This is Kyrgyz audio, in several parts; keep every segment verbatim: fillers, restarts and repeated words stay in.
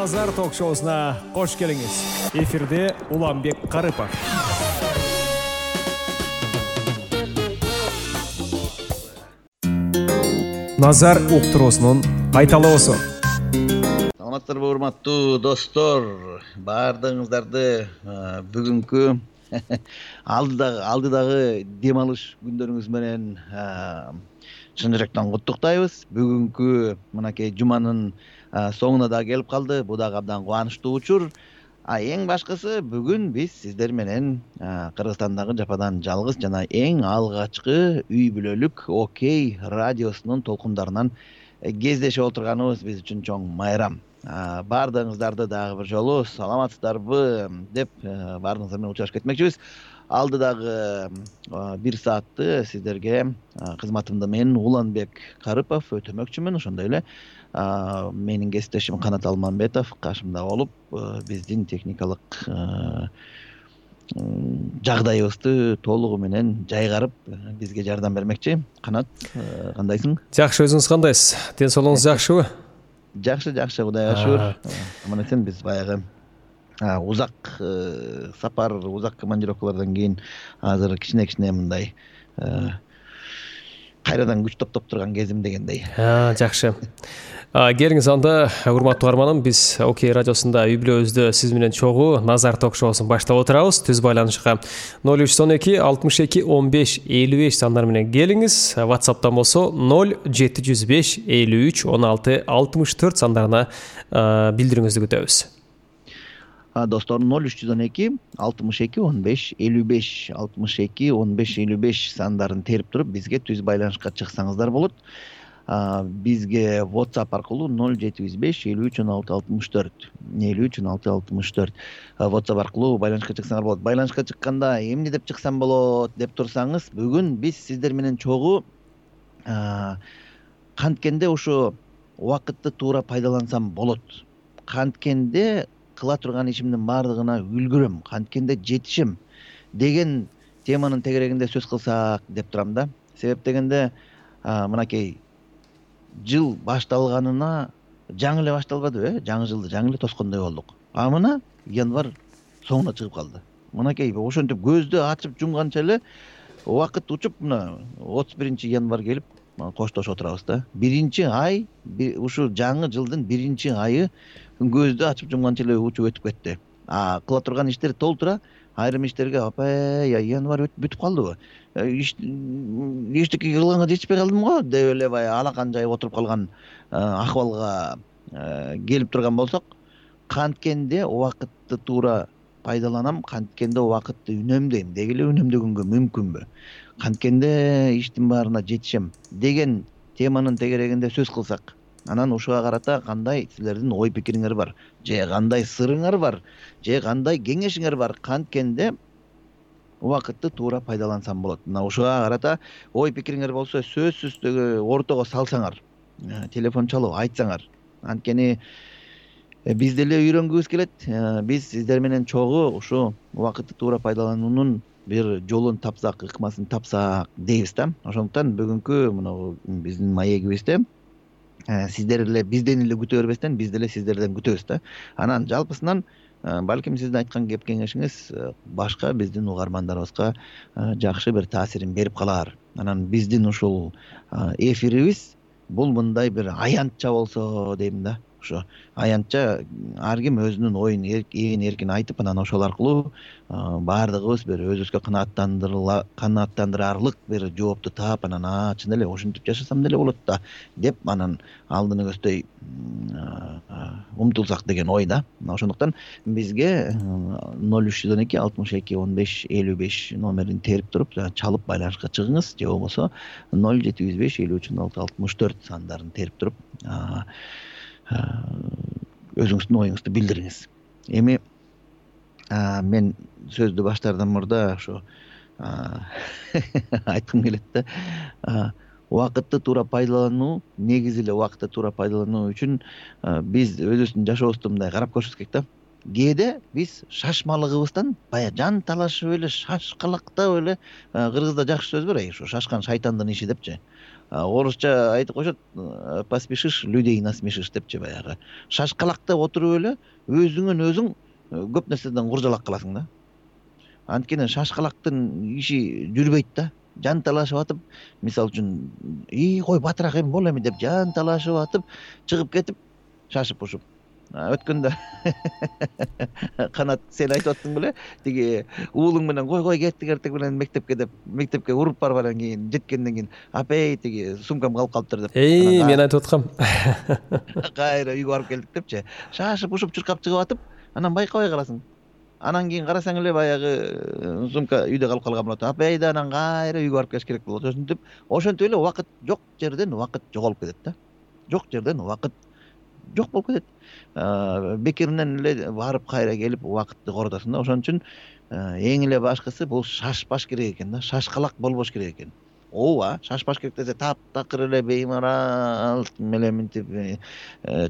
Назар ток-шоусуна кош келиңиз. Эфирде Уланбек Карыпов. Назар уктуруусунун кайталоосу. Саламатсыздарбы, урматтуу достор. Баардыгыңыздарды бүгүнкү алдыдагы алдыдагы дем алыш күндөрүңүз менен чын жүрөктөн куттуктайбыз. Бүгүнкү мынакей жуманын соңуна да келип калды. Бул дагы абдан кубанычтуу учур. А эң башкысы бүгүн биз сиздер менен Кыргызстандагы жападан жалгыз жана эң алгачкы үй бүлөлүк Окей радиосунун толкундарынан кездешип отурганыбыз биз үчүн чоң майрам. Баардыгыңыздарды дагы бир жолу саламатсыздарбы деп баардыгыңыздар менен учурашып кетмекчибиз. Алдыдагы бир саатты сиздерге кызматымда мен Уланбек Карыпов өтөмөкчүмүн. Ошондой эле менин кесиптешим Канат Алмамбетов кашымда болуп, биздин техникалык жагдайыбызды толугу менен жайгарып бизге жардам бермекчи. Канат, кандайсың? Жакшы, өзүңүз кандайсыз? Ден соолугуңуз жакшыбы? Жакшы, жакшы, Кудайга шүгүр. Аман эсен. Биз баягы узак сапар, узак командировкалардан кийин азыр кичине-кичине мындай кайрадан күч топтоп турган кезим дегендей. Жакшы. Келиңиз анда, урматтуу угарманым, биз Окей радиосунда үй бүлөбүздө сиз менен чогуу Назар ток-шоусун баштап отурабыз. Түз байланышка ноль үч он эки алтымыш эки он беш элүү беш сандары менен келиңиз. WhatsApp'тан болсо ноль жети жүз беш элүү үч он алты алтымыш төрт сандарына билдириңизди күтөбүз. Достор, ноль үч жүз он эки алтымыш эки он беш элүү беш алтымыш эки он беш элүү беш сандарын терип туруп бизге түз байланышка чыксаңыздар болот. Бизге WhatsApp аркылуу ноль жети жүз беш элүү үч он алты алтымыш төрт элүү үч он алты алтымыш төрт WhatsApp аркылуу байланышка чыксаңар болот. Байланышка чыкканда эмне деп чыксам болот деп турсаңыз, бүгүн биз сиздер менен чогуу канткенде ушу убакытты туура пайдалансам болот, канткенде кыла турган ишимдин баардыгына үлгүрөм, канткенде жетишем деген теманын тегерегинде сөз кылсак деп турам да. Себеп дегенде мынакей жыл башталганына жаңы эле башталбадыбы, э? Жаңы жылды жаңы эле тоскондой болдук. А мына январь соңуна чыгып калды. Мынакей ошентип көздү ачып жумганча эле убакыт учуп, мына отуз биринчи январь келип коштошуп отурабыз да. Биринчи ай, ушу жаңы жылдын биринчи айы көздү ачып жумганча эле учуп өтүп кетти. А кыла турган иштер толтура, айрым иштерге апай, январь бүтүп калдыбы? Эчтеке кылганга жетишпей калдым го деп эле баягы алакан жайып отуруп калган акыбалга келип турган болсок, канткенде убакытты туура пайдаланам, канткенде убакытты үнөмдөйм, деги эле үнөмдөгөнгө мүмкүнбү? Канткенде иштин баарына жетишем деген теманын тегерегинде сөз кылсак, анан ушуга карата кандай силердин ой пикириңер бар, же кандай сырыңар бар, же кандай кеңешиңер бар? Канткенде убакытты туура пайдалансам болот. Мына ушуга карата ой пикириңер болсо, сөзсүз ортого салсаңар, телефон чалып айтсаңар. Анткени биз деле үйрөнгүбүз келет. Биз сиздер менен чогуу ушу убакытты туура пайдалануунун бир жолун тапсак, ыкмасын тапсак дейбиз да. Ошондуктан бүгүнкү мына биздин маегибизде сиздер эле бизден эле күтө бербестен, биз деле сиздерден күтөбүз да. Анан жалпысынан балким сиздин айткан кеп кеңешиңиз башка биздин угармандарыбызга жакшы бир таасирин берип калар. Анан биздин ушул эфирибиз бул мындай бир аянтча болсо дейм да. Ошо аянтча ар ким өзүнүн оюн ээн эркин айтып, анан ошол аркылуу баардыгыбыз бир өзүбүзгө канааттандырарлык бир жоопту таап, анан чын эле ошентип жашасам деле болот да деп анан алдыны көздөй умтулсак деген ой да. Ошондуктан бизге ноль үч жүз он эки алтымыш эки он беш элүү беш номерин терип туруп чалып байланышка чыгыңыз, же болбосо ноль жети жүз беш элүү үч он алты алтымыш төрт сандарын терип туруп өзүңүздүн оюңузду билдириңиз. Эми мен сөздү баштаардан мурда ошо айткым келет да. Убакытты туура пайдалануу, негизи эле убакытты туура пайдалануу үчүн биз өзүбүздүн жашообузду мындай карап көрүшүбүз керек да. Кээде биз шашмалыгыбыздан бая жан талашып эле, шашкалактап эле, кыргызда жакшы сөз бар, ушу шашкан шайтандын иши депчи. орусча айтып коюшат, поспешишь, людей насмешишь депчи, баягы шашкалакта отуруп эле өзүңөн өзүң көп нерседен куржалак кыласың да. Анткени шашкалактын иши жүрбөйт да. Жанталашып атып, мисалы үчүн, "И, кой батыраак эми бол эми" деп жанталашып атып, чыгып кетип, шашып ушуп. Өткөндө Канат, сен айтып аттың беле, тиги уулуң менен кой кой кеттик эртең менен мектепке деп, мектепке уруп барып анан кийин жеткенден кийин апей тиги сумкам калып калыптыр деп. Эй, мен айтып аткам. Кайра үйгө барып келдик депчи. Шашып ушуп чуркап чыгып атып, анан байкабай каласың. Анан кийин карасаң эле баягы сумка үйдө калып калган болот. Апей да анан кайра үйгө барып келиш керек болот. Ошентип, ошентип эле убакыт жок жерден убакыт жоголуп кетет да. Жок жерден убакыт жок болуп кетет. Бекеринен эле барып кайра келип убакытты коротосуң да. Ошон үчүн эң эле башкысы бул шашпаш керек экен да. Шашкалак болбош керек экен. Ооба, шашпаш керек десе таптакыр эле беймарал менен мынтип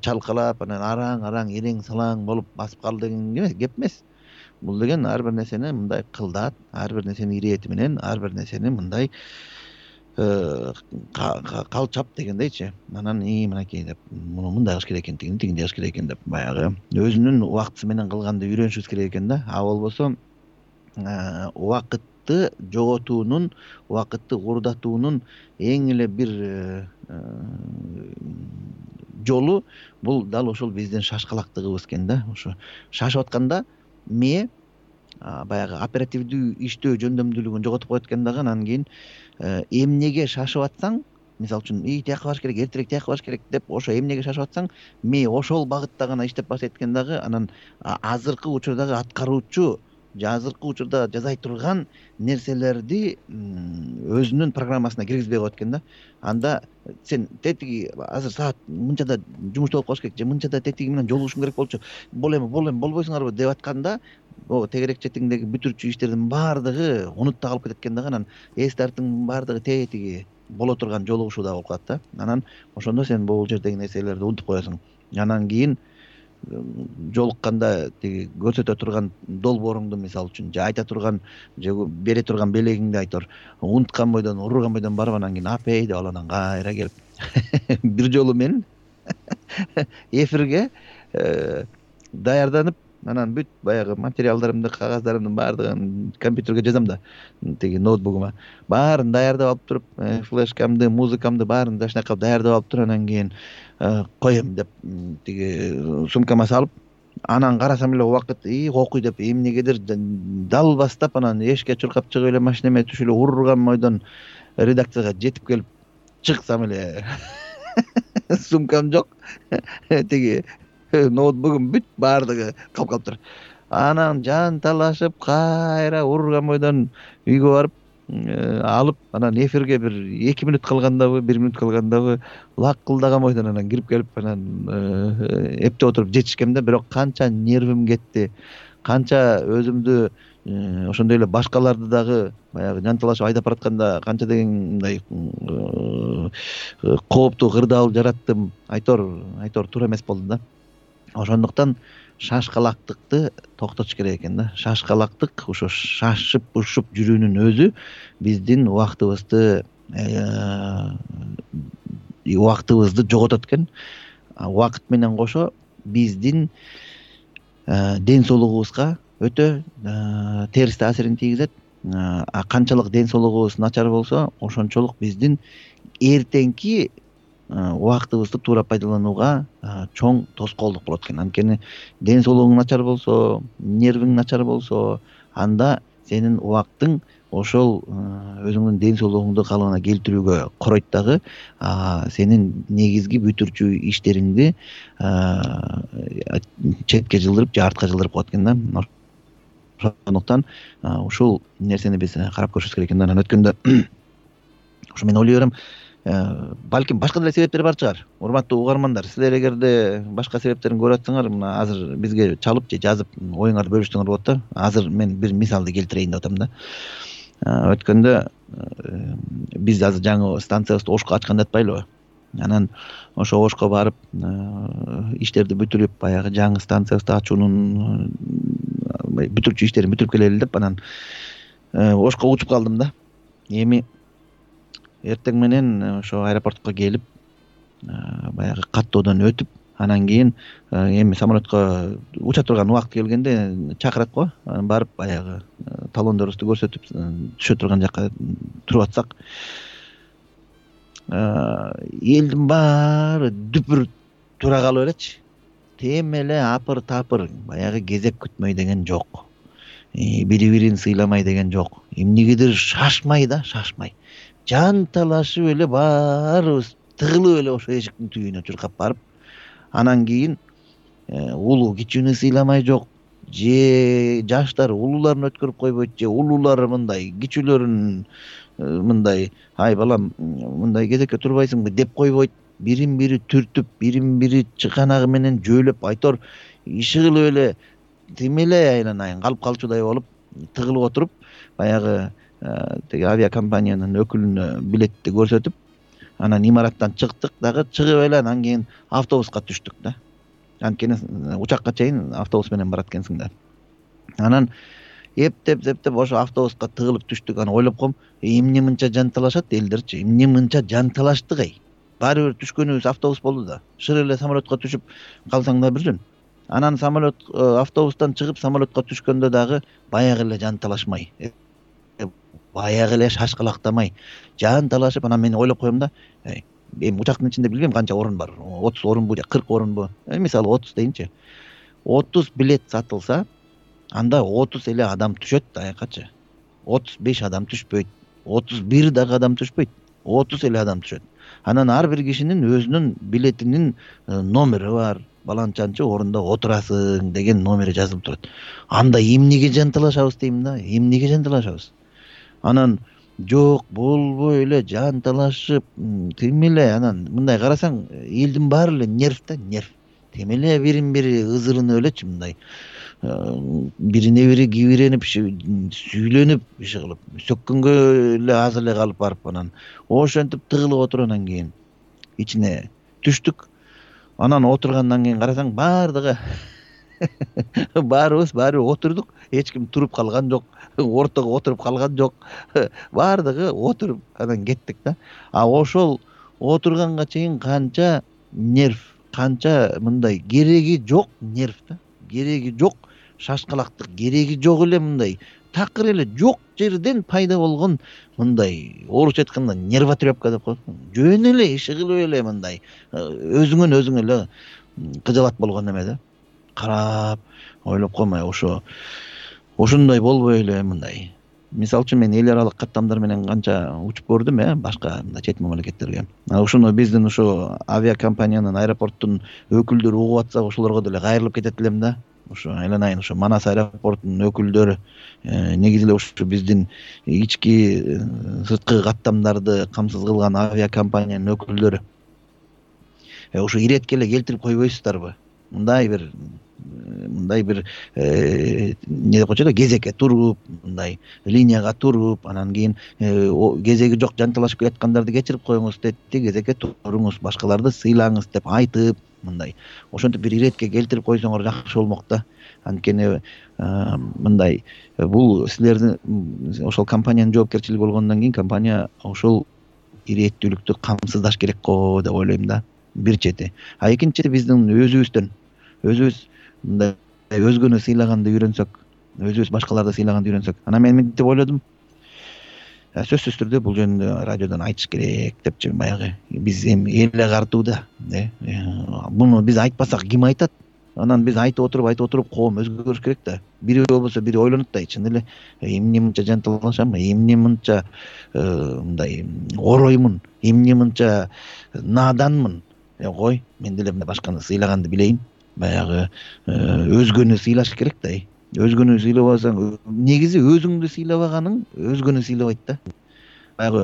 чалкалап, анан араң-араң, ирең-салаң болуп басып кал деген кеп эмес. Бул деген ар бир нерсени мындай кылдат, ар бир нерсени ирети менен, ар бир нерсени мындай калчап дегендейчи. Анан и мынакей деп, муну мындай кылыш керек экен, тигини тигиндей кылыш керек экен деп баягы өзүнүн убактысы менен кылганды үйрөнүшүбүз керек экен да. А болбосо убакытты жоготуунун, убакытты урдатуунун эң эле бир жолу бул дал ошол биздин шашкалактыгыбыз экен да. Ошо шашып атканда мээ баягы оперативдүү иштөө жөндөмдүүлүгүн жоготуп коет экен дагы. Анан кийин эмнеге шашып атсаң, мисалы үчүн, "И, тияка барыш керек, эртерээк тияка барыш керек" деп ошо эмнеге шашып атсаң, мээ ошол багытта гана иштеп баштайт экен дагы. Анан азыркы учурдагы аткаруучу же азыркы учурда жасай турган нерселерди өзүнүн программасына киргизбей коет экен да. Анда сен тетиги азыр саат мынчада жумушта болуп калыш керек, же мынчада тетиги менен жолугушуң керек болчу, бол эми бол эми болбойсуңарбы деп атканда, о тегерек четиңдеги бүтүрчү иштердин баардыгы унутта калып кетет экен дагы. Анан эс тартыңдын баардыгы тетиги боло турган жолугушууда болуп калат да. Анан ошондо сен бул жердеги нерселерди унутуп коесуң. Анан кийин жолукканда тиги көрсөтө турган долбооруңду, мисалы үчүн, же айта турган, же бере турган белегиңди айтор унуткан бойдон, урурган бойдон барып, анан кийин апей деп анан кайра келип бир жолу мен эфирге даярданып, анан бүт баягы материалдарымды, кагаздарымдын баардыгын компьютерге жазам да, тиги ноутбугума баарын даярдап алып туруп, флешкамды, музыкамды баарын дашнакап даярдап алып туруп, анан кийин коем деп тиги сумкама салып, анан карасам эле убакыт и окуй деп эмнегедир дал бастап, анан эшикке чуркап чыгып эле машинеме түшүп эле урурган бойдон редакцияга жетип келип чыксам эле сумкам жок, тиги ноутбугум бүт баардыгы калып калыптыр. Анан жанталашып кайра урурган бойдон үйгө барып алып, анан эфирге бир эки мүнөт калгандабы, бир мүнөт калгандабы лакылдаган бойдон анан кирип келип, анан эптеп отуруп жетишкем да. Бирок канча нервим кетти, канча өзүмдү ошондой эле башкаларды дагы баягы жанталашып айдап баратканда канча деген мындай кооптуу кырдаал жараттым, айтор айтор туура эмес болду да. Ошондуктан шашкалактыкты токтотуш керек экен да. Шашкалактык, ошо шашып ушуп жүрүүнүн өзү биздин убактыбызды убактыбызды жоготот экен. Убакыт менен кошо биздин ден соолугубузга өтө терс таасирин тийгизет. А канчалык ден соолугубуз начар болсо, ошончолук биздин эртеңки убактыбызды туура пайдаланууга чоң тоскоолдук болот экен. Анткени ден соолугуң начар болсо, нервиң начар болсо, анда сенин убактың ошол өзүңдүн ден соолугуңду калыбына келтирүүгө коройт дагы, сенин негизги бүтүрчү иштериңди четке жылдырып же артка жылдырып коет экен да. Ошондуктан ушул нерсени биз карап көрүшүбүз керек экен да. Анан өткөндө ошо мен ойлой берем, балким башка деле себептер бар чыгар. Урматтуу угармандар, силер эгерде башка себептерин көрүп атсаңар, мына азыр бизге чалып же жазып оюңарды бөлүшсөңөр болот да. Азыр мен бир мисалды келтирейин деп атам да. Өткөндө биз азыр жаңы станциябызды Ошко ачкан деп атпайлыбы? Анан ошо Ошко барып иштерди бүтүрүп, баягы жаңы станциябызды ачуунун бүтүрчү иштерин бүтүрүп келели деп, анан Ошко учуп калдым да. Эми эртең менен ошо аэропортко келип баягы каттоодон өтүп анан кийин эми самолетко уча турган убакыт келгенде чакырат го, анан барып баягы талондорубузду көрсөтүп түшө турган жакка туруп атсак, элдин баары дүпүр тура калып элечи. Тем эле апыр тапыр, баягы кезек күтмөй деген жок, бири бирин сыйламай деген жок, эмнегедир шашмай да, шашмай жан талашып эле баарыбыз тыгылып эле ошо эшиктин түбүнө чуркап барып, анан кийин улуу кичүүнү сыйламай жок, же жаштар улууларын өткөрүп койбойт, же улуулар мындай кичүүлөрүн мындай ай балам мындай кезекке турбайсыңбы деп койбойт, бирин бири түртүп, бирин бири чыканагы менен жөөлөп, айтор ишыгылып эле тим эле айланайын калып калчудай болуп тыгылып отуруп, баягы теги авиакомпаниянын өкүлүнө билетти көрсөтүп, анан имараттан чыктык дагы, чыгып эле анан кийин автобуска түштүк да. Анткени учакка чейин автобус менен барат экенсиң да. Анан эптеп эптеп ошо автобуска тыгылып түштүк. Анан ойлоп коем, эмне мынча жан талашат элдерчи, эмне мынча жан талаштык эй. Баары бир түшкөнүбүз автобус болду да. Шыр эле самолетко түшүп калсаң да бир жөн. Анан самолет автобустан чыгып самолетко түшкөндө дагы баягы эле жан талашмай, баягы эле шашкалактамай жан талашып, анан мен ойлоп коем да, эми учактын ичинде билбейм канча орун бар, отуз орунбу же кырк орунбу, мисалы отуз дейинчи, отуз билет сатылса, анда отуз эле адам түшөт да, аякачы. отуз беш адам түшпөйт, отуз бир дагы адам түшпөйт, отуз эле адам түшөт. Анан ар бир кишинин өзүнүн билетинин номери бар, баланчанчы орунда отурасың деген номери жазылып турат. Анда эмнеге жан талашабыз дейм да, эмнеге жан талашабыз? Анан жок, болбой эле жан талашып, тим эле анан мындай карасаң, элдин баары эле нерв да, нерв. Тим эле бирин бири ызырынып элечи, мындай бирине бири кибиренип, сүйлөнүп, иши кылып, сөккөнгө эле аз эле калып барып, анан ошентип тыгылып отуруп анан кийин ичине түштүк. Анан отургандан кийин карасаң, баардыгы баарыбыз баары отурдук, эч ким туруп калган жок, ортого отуруп калган жок, баардыгы отуруп анан кеттик да. А ошол отурганга чейин канча нерв, канча мындай кереги жок нерв да, кереги жок шашкалактык, кереги жок эле мындай такыр эле жок жерден пайда болгон мындай орусча айтканда нервотрепка деп коет. Жөн эле иши кылып эле мындай өзүңөн өзүң эле кыжалат болгон эме да. Карап ойлоп коймай ошо ошондой болбой эле мындай. Мисалы үчүн мен эл аралык каттамдар менен канча учуп көрдүм, э, башка мындай чет мамлекеттерге. Ошону биздин ошо авиакомпаниянын, аэропорттун өкүлдөрү угуп атса, ошолорго деле кайрылып кетет элем да. Ошо айланайын, ошо Манас аэропортунун өкүлдөрү, негизи эле ошо биздин ички сырткы каттамдарды камсыз кылган авиакомпаниянын өкүлдөрү. Ошо иретке эле келтирип койбойсуздарбы? Мындай бир мындай бир эмне деп коечу да, кезекке туруп, мындай линияга туруп, анан кийин кезеги жок жан талашып келаткандарды кечирип коюңуз депти, кезекке туруңуз, башкаларды сыйлаңыз деп айтып, мындай ошентип бир иретке келтирип койсоңор жакшы болмок да. Анткени мындай бул силердин ошол компаниянын жоопкерчилиги болгондон кийин компания ошол иреттүүлүктү камсыздаш керек го деп ойлойм да, бир чети. А экинчи чети биздин өзүбүздөн өзүбүз мындай өзгөнү сыйлаганды үйрөнсөк, өзүбүз башкаларды сыйлаганды үйрөнсөк. Анан мен мынтип ойлодум, сөзсүз түрдө бул жөнүндө радиодон айтыш керек депчи, баягы биз эми эл агартууда, э муну биз айтпасак ким айтат? Анан биз айтып отуруп айтып отуруп коом өзгөрүш керек да. Бири болбосо бири ойлонот да, чын эле эмне мынча жан талашам, эмне мынча мындай ороймун, эмне мынча наданмын. Э кой, мен деле мына башканы сыйлаганды билейин. Баягы өзгөнү сыйлаш керек да. Өзгөнү сыйлабасаң, негизи өзүңдү сыйлабаганың өзгөнү сыйлабайт да. Баягы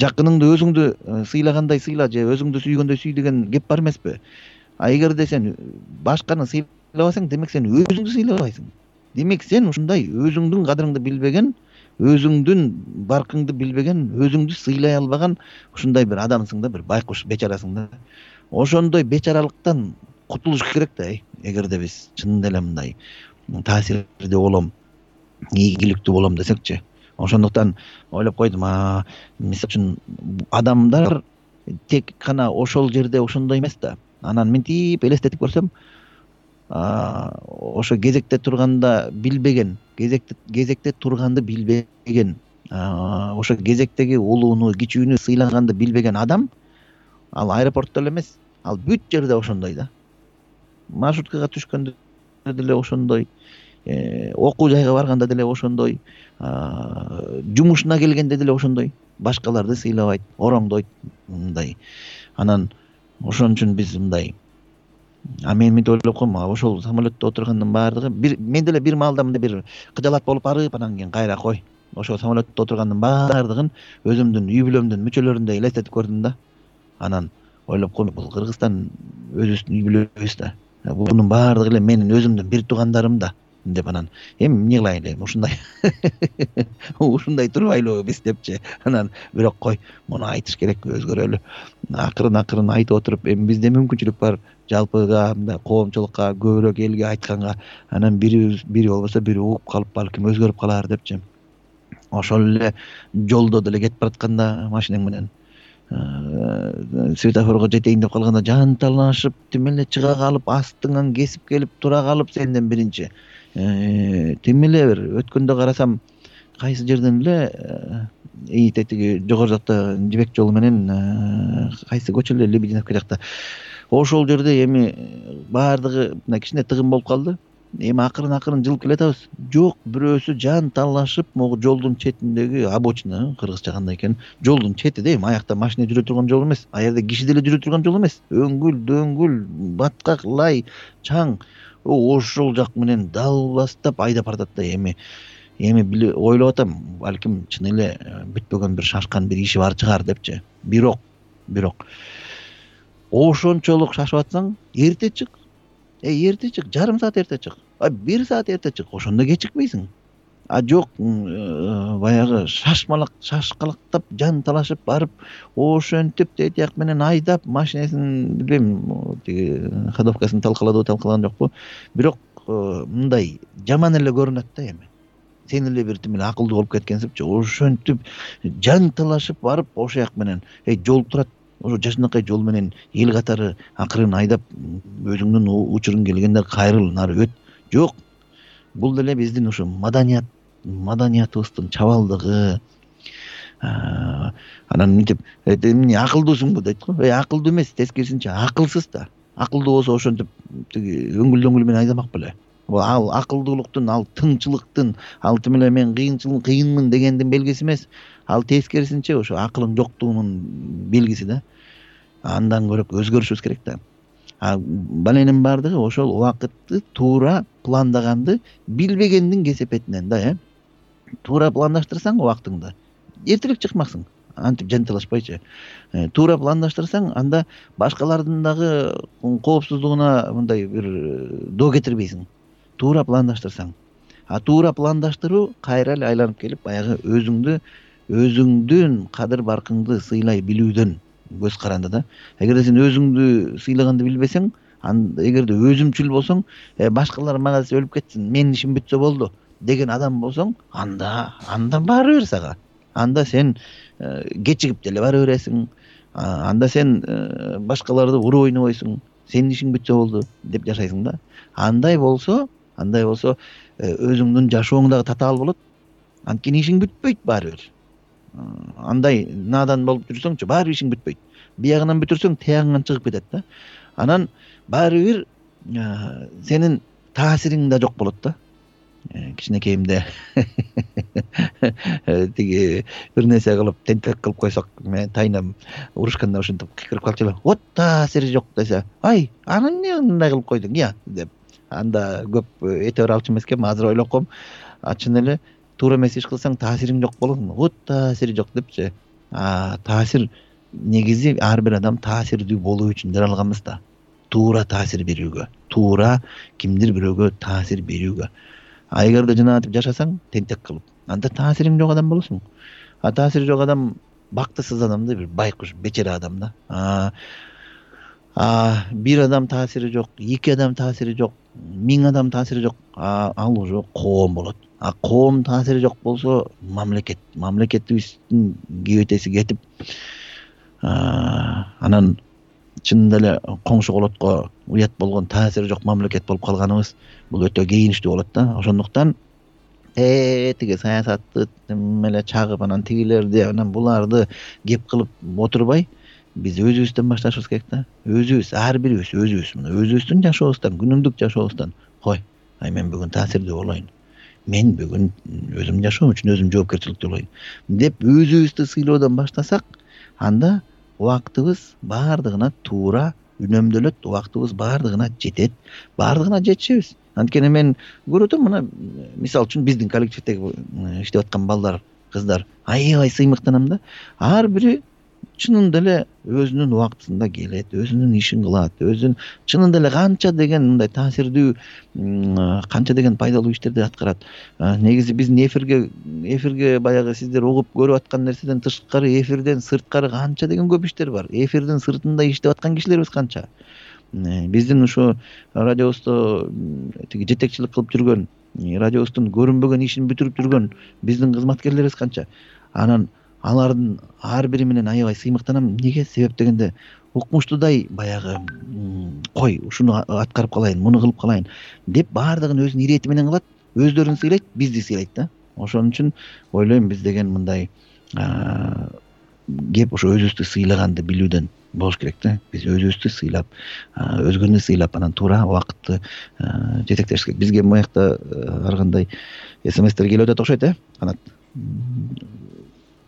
жакыныңды өзүңдү сыйлагандай сыйла, же өзүңдү сүйгөндөй сүй деген кеп бар эмеспи? А эгерде сен башканы сыйлабасаң, демек сен өзүңдү сыйлабайсың. Демек сен ушундай өзүңдүн кадырыңды билбеген, өзүңдүн баркыңды билбеген, өзүңдү сыйлай албаган ушундай бир адамсың да, бир байкуш бечарасың да. Ошондой бечаралыктан кутулуш керек да, эгерде биз чын эле мындай таасирдүү болом, ийгиликтүү болом десекчи. Ошондуктан ойлоп койдум, а мисалы үчүн адамдар тек гана ошол жерде ошондой эмес да. Анан мынтип элестетип көрсөм, ошо кезекте турганда билбеген, кезекте кезекте турганды билбеген, ошо кезектеги улууну, кичүүнү сыйлаганды билбеген адам, ал аэропортто эле эмес, ал бүт жерде ошондой да. Маршруткага түшкөндө деле ошондой, окуу жайга барганда деле ошондой, жумушуна келгенде деле ошондой, башкаларды сыйлабайт, ороңдойт мындай. Анан ошон үчүн биз мындай, а мен мынтип ойлоп койм, ошол самолетто отургандын баардыгы, мен деле бир маалда мындай бир кыжалат болуп барып, анан кийин кайра кой, ошол самолетто отургандын баардыгын өзүмдүн үй бүлөмдүн мүчөлөрүндөй элестетип көрдүм да. Анан ойлоп койм, бул Кыргызстан өзүбүздүн үй бүлөбүз да, бунун баардыгы эле менин өзүмдүн бир туугандарым да деп, анан эми эмне кылайлы, эми ушундай ушундай турбайлыбы биз депчи. Анан бирок кой, муну айтыш керек, өзгөрөлү. Акырын акырын айтып отуруп, эми бизде мүмкүнчүлүк бар жалпыга, мындай коомчулукка, көбүрөөк элге айтканга, анан бири бири болбосо бири угуп калып, балким өзгөрүп калар депчи. Ошол эле жолдо деле кетип баратканда машинең менен светофорго жетейин деп калганда жанталашып тим эле чыга калып, астыңан кесип келип тура калып сенден биринчи. Тим эле бир өткөндө карасам, кайсы жерден эле ийите тиги жогору жакта Жибек жолу менен кайсы көчө эле, Лебединовка жакта. Ошол жерде эми баардыгы мына кичине тыгын болуп калды. Эми акырын акырын жылып келатабыз. Жок, бирөөсү жан талашып, могу жолдун четиндеги обочина, кыргызча кандай экен, жолдун чети да, эми аякта машина жүрө турган жол эмес, а жерде киши деле жүрө турган жол эмес. Өңгүл, дөңгүл, баткак, лай, чаң. Ошол жак менен далбастап айдап баратат да. Эми эми ойлоп атам, балким чын эле бүтпөгөн бир шашкан бир иши бар чыгар депчи. Бирок, бирок ошончолук шашып атсаң, эрте чык. Э, эрте чык, жарым саат эрте чык. А бир саат эрте чык, ошондо кечикпейсиң. А жок, баягы шашмалак, шашкалактап, жан талашып барып, ошентип тетияк менен айдап, машинесин билбейм, тиги ходовкасын талкаладыбы, талкалаган жокпу. Бирок мындай жаман эле көрүнөт да эми. Сен эле бир тим эле акылдуу болуп кеткенсипчи, ошентип жан талашып барып, ошояк менен, эй, жол турат, ошо жашынакай жол менен эл катары акырын айдап, өзүңдүн учуруң келгенде кайрыл, нары өт. Жок. Бул деле биздин ушу маданият, маданиятыбыздын чабалдыгы. Анан мынтип, эмне акылдуусуңбу дейт го. Эй, акылдуу эмес, тескерисинче акылсыз да. Акылдуу болсо ошентип тиги өңгүл-дөңгүл менен айдамак беле. Ал акылдуулуктун, ал тыңчылыктын, ал тим эле мен кыйынчылык кыйынмын дегендин белгиси эмес. Ал тескерисинче ошо акылың жоктугунун белгиси да. Андан көрөк өзгөрүшүбүз керек да. А баленин баардыгы ошол убакытты туура пландаганды билбегендин кесепетинен да, э. Туура пландаштырсаң убактыңды, эртерээк чыкмаксың, антип жанталашпайчы. Туура пландаштырсаң, анда башкалардын дагы коопсуздугуна мындай бир доо кетирбейсиң. Туура пландаштырсаң. А туура пландаштыруу кайра эле айланып келип, баягы өзүңдү, өзүңдүн кадыр баркыңды сыйлай билүүдөн көз каранды да. Эгерде сен өзүңдү сыйлаганды билбесең, эгерде өзүмчүл болсоң, башкалар мага өлүп кетсин, менин ишим бүтсө болду деген адам болсоң, анда анда баары бир сага. Анда сен кечигип деле бара бересиң. Анда сен башкаларды уруп ойнобойсуң, сенин ишиң бүтсө болду деп жашайсың да. Андай болсо, андай болсо өзүңдүн жашооң дагы татаал болот. Анткени ишиң бүтпөйт баары бир. Андай надан болуп жүрсөңчү, баары ишиң бүтпөйт. Биягынан бүтүрсөң, тиягыңан чыгып кетет да. Анан баары бир сенин таасириң да жок болот да. Кичинекейимде тиги бир нерсе кылып, тентек кылып койсок, мен тайнам урушканда ошентип кыйкырып калчу. Вот таасири жок десе, ай, аны эмне мындай кылып койдуң, я деп. Анда көп эте бер алчу эмес экен, азыр ойлоп койм. А чын эле туура эмес иш кылсаң, таасириң жок болот. Вот таасири жок депчи. А таасир негизи ар бир адам таасирдүү болуу үчүн жаралганбыз да. Туура таасир берүүгө, туура кимдир бирөөгө таасир берүүгө. А эгерде жанагынтип жашасаң, тентек кылып, анда таасириң жок адам болосуң. А таасири жок адам бактысыз адам да, бир байкуш, бечара адам да. А А бир адам таасири жок, эки адам таасири жок, миң адам таасири жок, ал уже коом болот. а коом таасири жок болсо мамлекет мамлекетибиздин кебетеси кетип анан чынында эле коңшу колотко уят болгон таасири жок мамлекет болуп калганыбыз бул өтө кейиничтүү болот да. Ошондуктан э тиги саясатты эле чагып анан тигилерди анан буларды кеп кылып отурбай биз өзүбүздөн башташыбыз керек да. Өзүбүз, ар бирибиз өзүбүз мына өзүбүздүн жашообуздан, күнүмдүк жашообуздан кой, ай мен бүгүн таасирдүү болоюн, мен бүгүн өзүм жашоом үчүн өзүм жоопкерчиликтүү болоюн деп өзүбүздү сыйлоодон баштасак, анда убактыбыз баардыгына туура үнөмдөлөт, убактыбыз баардыгына жетет, баардыгына жетишебиз. Анткени мен көрүп атам, мына мисалы үчүн биздин коллективдеги иштеп аткан балдар, кыздар аябай сыймыктанам да. Ар бири чынында эле өзүнүн убактысында келет, өзүнүн ишин кылат, өзүнүн чынында эле канча деген мындай таасирдүү, канча деген пайдалуу иштерди аткарат. Негизи биздин эфирге эфирге баягы сиздер угуп көрүп аткан нерседен тышкары, эфирден сырткары канча деген көп иштер бар. Эфирдин сыртында иштеп аткан кишилерибиз канча. Биздин ушу радиобузду тиги жетекчилик кылып жүргөн, радиобуздун көрүнбөгөн ишин бүтүрүп жүргөн биздин кызматкерлерибиз канча. Анан алардын ар бири менен аябай сыймыктанам. Неге? Себеп дегенде укмуштуудай баягы кой ушуну аткарып калайын, муну кылып калайын деп баардыгын өзүнүн ирети менен кылат, өздөрүн сыйлайт, бизди сыйлайт да. Ошон үчүн ойлойм биз деген мындай кеп ошо өзүбүздү сыйлаганды билүүдөн болуш керек да. Биз өзүбүздү сыйлап, өзгөнү сыйлап, анан туура убакытты жетектеш керек. Бизге моякта ар кандай смстер келип атат окшойт, э? Канат.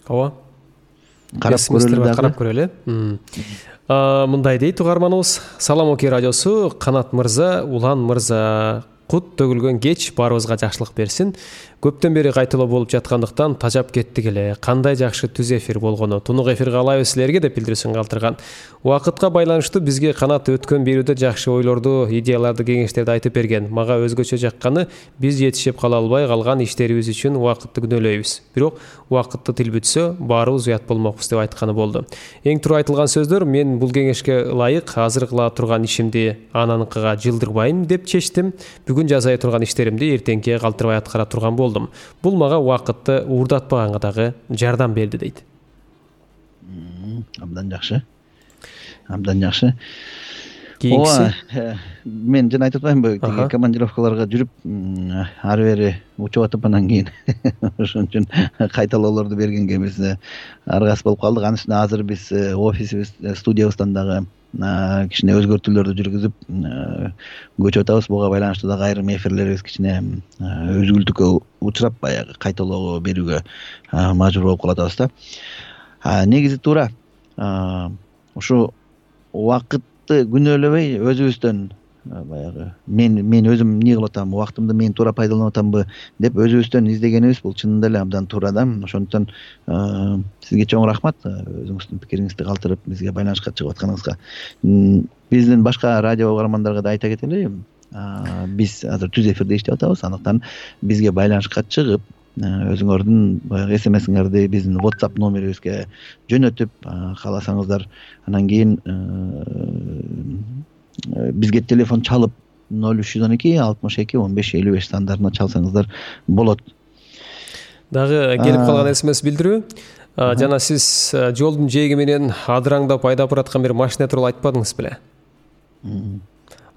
Ооба. Карап көрөлү, карап көрөлү. Мындай дейт угарманыбыз. Салам Окей радиосу, Канат мырза, Улан мырза, кут төгүлгөн кеч баарыбызга жакшылык берсин. Көптөн бери кайталоо болуп жаткандыктан тажап кеттик эле. Кандай жакшы түз эфир болгону. Тунук эфир каалайбыз силерге деп билдирүүсүн калтырган. Убакытка байланыштуу бизге Канат өткөн берүүдө жакшы ойлорду, идеяларды, кеңештерди айтып берген. Мага өзгөчө жакканы биз жетишип кала албай калган иштерибиз үчүн убакытты күнөөлөйбүз. Бирок убакытты тил бүтсө, баарыбыз уят болмокпуз деп айтканы болду. Эң туура айтылган сөздөр. Мен бул кеңешке ылайык азыр кыла турган ишимди ананыкыга жылдырбайм деп чечтим. Бүгүн жасай турган иштеримди эртеңке калтырбай аткара турган болдум. Бул мага убакытты уурдатпаганга дагы жардам берди дейт. Абдан жакшы. Абдан жакшы. Кийинкиси мен жана айтып атпаймынбы, тиги командировкаларга жүрүп, ары бери учуп атып анан кийин ошон үчүн кайталоолорду бергенге биз аргасыз болуп калдык. Анын үстүнө азыр биз офисибиз, студиябыздан дагы кичине өзгөртүүлөрдү жүргүзүп көчүп атабыз. Буга байланыштуу дагы айрым эфирлерибиз кичине үзгүлтүккө учурап, баягы кайталоо берүүгө мажбур болуп калатабыз да. Негизи туура ушу убакытты күнөөлөбөй өзүбүздөн баягы мен мен өзүм эмне кылып атам, убактымды мен туура пайдаланып атамбы деп өзүбүздөн издегенибиз бул чынында эле абдан туура да. Ошондуктан сизге чоң рахмат, өзүңүздүн пикириңизди калтырып бизге байланышка чыгып атканыңызга. Биздин башка радио угармандарга да айта кетели, биз азыр түз эфирде иштеп атабыз. Андыктан бизге байланышка чыгып, өзүңөрдүн баягы смсиңерди биздин WhatsApp номерибизге жөнөтүп, кааласаңыздар анан кийин бизге телефон чалып ноль үч жүз он эки алтымыш эки он беш элүү беш сандарына чалсаңыздар болот. Дагы келип калган смс билдирүү. Жана сиз жолдун жээги менен адыраңдап айдап бараткан бир машина тууралуу айтпадыңыз беле?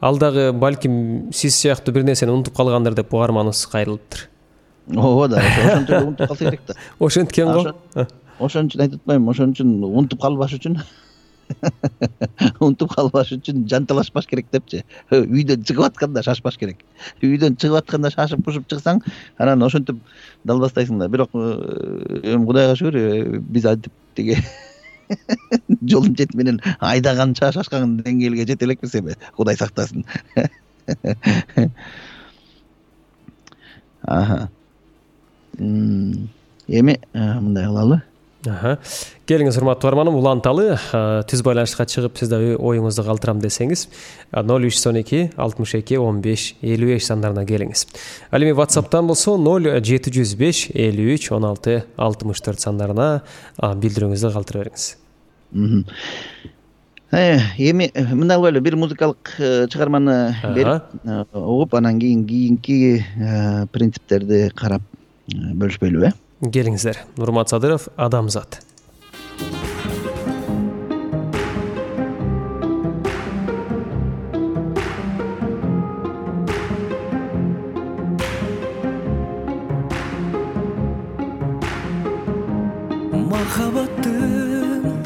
Ал дагы балким сиз сыяктуу бир нерсени унутуп калгандыр деп угарманыбыз кайрылыптыр. Ооба да, ошон үчүн унутуп калса керек да. Ошенткен го. Ошон үчүн айтып атпаймынбы, ошон үчүн унутуп калбаш үчүн унутуп калбаш үчүн жанталашпаш керек депчи. Үйдөн чыгып атканда шашпаш керек. Үйдөн чыгып атканда шашып пушуп чыксаң, анан ошентип далбастайсың да. Бирок эми Кудайга шүгүр, биз айтып тиги жолдун чети менен айдаганча шашкан деңгээлге жете элекпиз эми, Кудай сактасын. Аха. Эми мындай кылалы. Аха. Келиңиз урматтуу угарманым, уланталы түз байланышка чыгып сиз да оюңузду калтырам десеңиз ноль үч жүз он эки алтымыш эки он беш элүү беш сандарына келиңиз. Ал эми WhatsApp'тан болсо ноль жети жүз беш элүү үч он алты алтымыш төрт сандарына билдирүүңүздү калтыра бериңиз. эми мындай кылайлы, бир музыкалык чыгарманы берип угуп, анан кийин кийинки принциптерди карап бөлүшпөйлүбү? Келиңиздер. Нурмат Садыров, Адамзат. Махаббаттын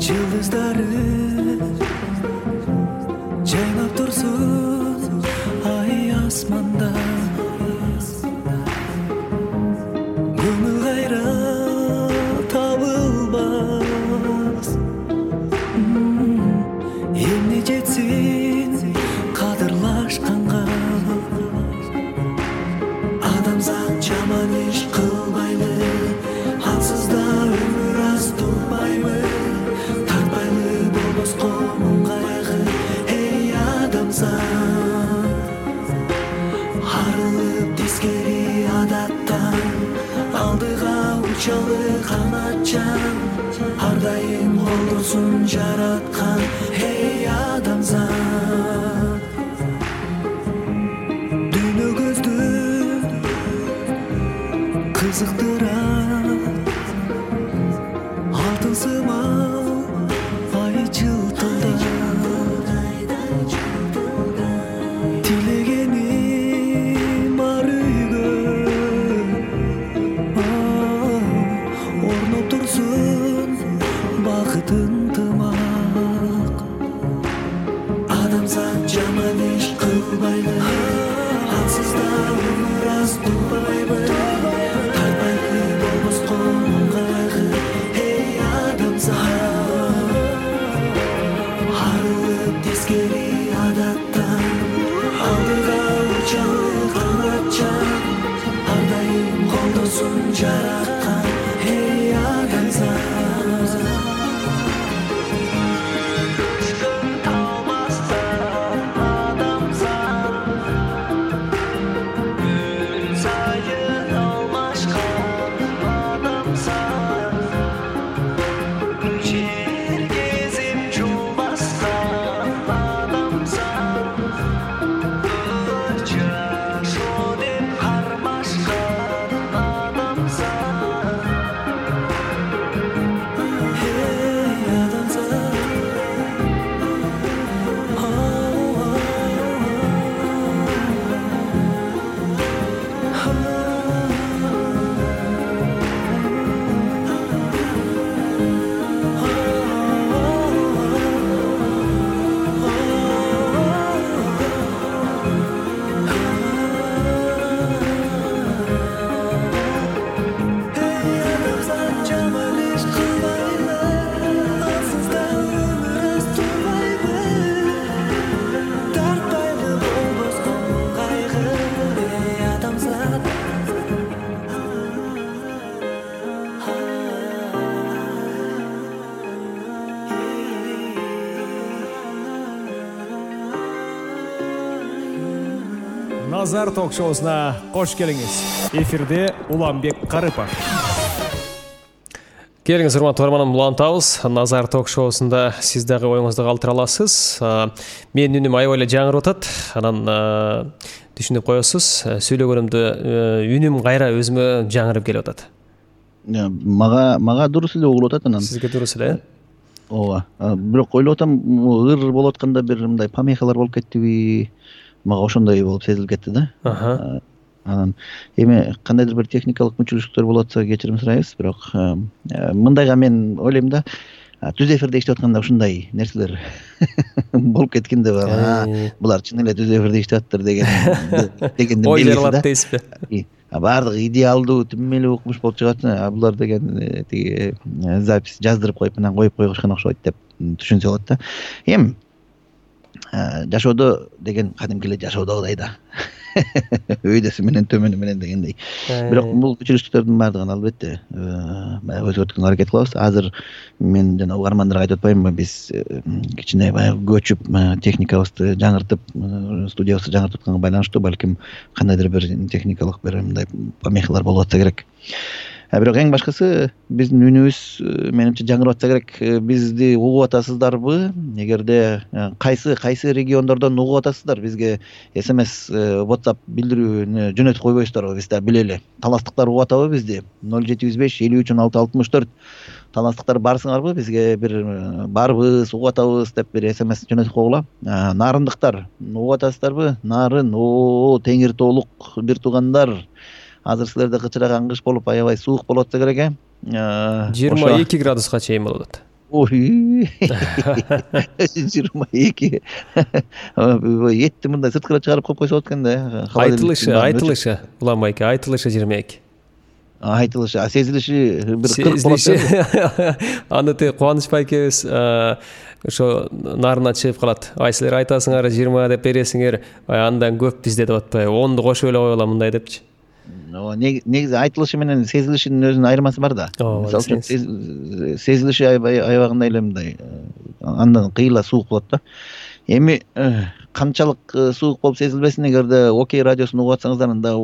жылдыздары жайнап турсун ай асманда, көңүл кайра табылбас, эмне жетсин кадырлашканга. Адамзат жаман иш кылбайлы, ансыз да өмүр аз турбайбы, тартпайлы болбоско муң кайгы. Эй адамзат, арылып тескери адаттан, алдыга учалы канатчан, ар дайым колдосун жараткан. Эй адамзат, дүйнө көздү кызыктырат, алтын сымал ай жылтылдап, тилегеним ар үйгө орноп турсун бакытын тымак. Адамзат жаман иш кылбайлы, ансыз да өмүр аз турбайбы, тартпайлы болбоско муң кайгы. Эй адамзат, арылып тескери адаттан, алдыга учалы канатчан, ар дайым колдосун жараткан. Эй адамзат, Назар ток-шоусуна кош келиңиз. Эфирде Уланбек Карыпов. Келиңиз, урматтуу угарманым, улантабыз. Назар ток-шоусунда сиз дагы оюңузду калтыра аласыз. Менин үнүм аябай эле жаңырып атат. Анан түшүнүп коесуз. Сүйлөгөнүмдө үнүм кайра өзүмө жаңырып келип атат. Мага мага дурус эле угулуп атат анан. Сизге дурус эле? Ооба. Бирок ойлоп атам, ыр болуп атканда бир мындай помехалар болуп кеттиби? Мага ошондой болуп сезилип кетти да. Анан эми кандайдыр бир техникалык мүчүлүштүктөр болуп атса кечирим сурайбыз, бирок мындайга мен ойлойм да, түз эфирде иштеп атканда ушундай нерселер болуп кеткен деп, булар чын эле түз эфирде иштеп атыптыр деген дегенден ой жаралат дейсизби? Баардыгы идеалдуу, түмөлүү укмуш болуп чыгат, а булар деген тиги запись жаздырып коюп анан коюп койгушкан окшойт деп түшүнсө болот да. Эми жашоодо деген кадимки эле жашоодогудай да. Өйдөсү менен төмөнү менен дегендей. Бирок бул күчүлүштүктөрдүн баардыгын албетте баягы өзгөрткөнгө аракет кылабыз. Азыр мен жана угармандарга айтып атпаймынбы, биз кичине баягы көчүп техникабызды жаңыртып, студиябызды жаңыртып атканга байланыштуу, балким кандайдыр бир техникалык бир мындай помехалар болуп атса керек. бирок эң башкысы биздин үнүбүз менимче жаңырып атса керек. Бизди угуп атасыздарбы? Эгерде кайсы кайсы региондордон угуп атасыздар, бизге смс WhatsApp билдирүүнү жөнөтүп койбойсуздарбы? Биз да билели. Таластыктар угуп атабы бизди? ноль жети жүз беш элүү үч он алты алтымыш төрт. Таластыктар барсыңарбы? Бизге бир барбыз, угуп атабыз деп бир смс жөнөтүп койгула. Нарындыктар угуп атасыздарбы? Нарын, о, теңир тоолук бир туугандар. Азыр силерде кычыраган кыш болуп аябай суук болуп атса керек, э? жыйырма эки градуска чейин болуп атат. Ой, жыйырма эки. Этти мындай сырткыра чыгарып коюп койсо болот экен да. Айтылышы, айтылышы, Улан байке, айтылышы жыйырма эки. Айтылышы, а сезилиши бир кырк болот. Аны те Кубаныч байкебиз ошо нарына чыгып калат. Ай силер айтасыңар жыйырма деп бересиңер, андан көп бизде деп атпайбы? онду кошуп эле койгула мындай депчи. Негизи айтылышы менен сезилишинин өзүнүн айырмасы бар да. Мисалы үчүн сезилиши аябагында эле мындай андан кыйла суук болот да. Эми канчалык суук болуп сезилбесин, эгерде Окей радиосун угуп атсаңыздар, анда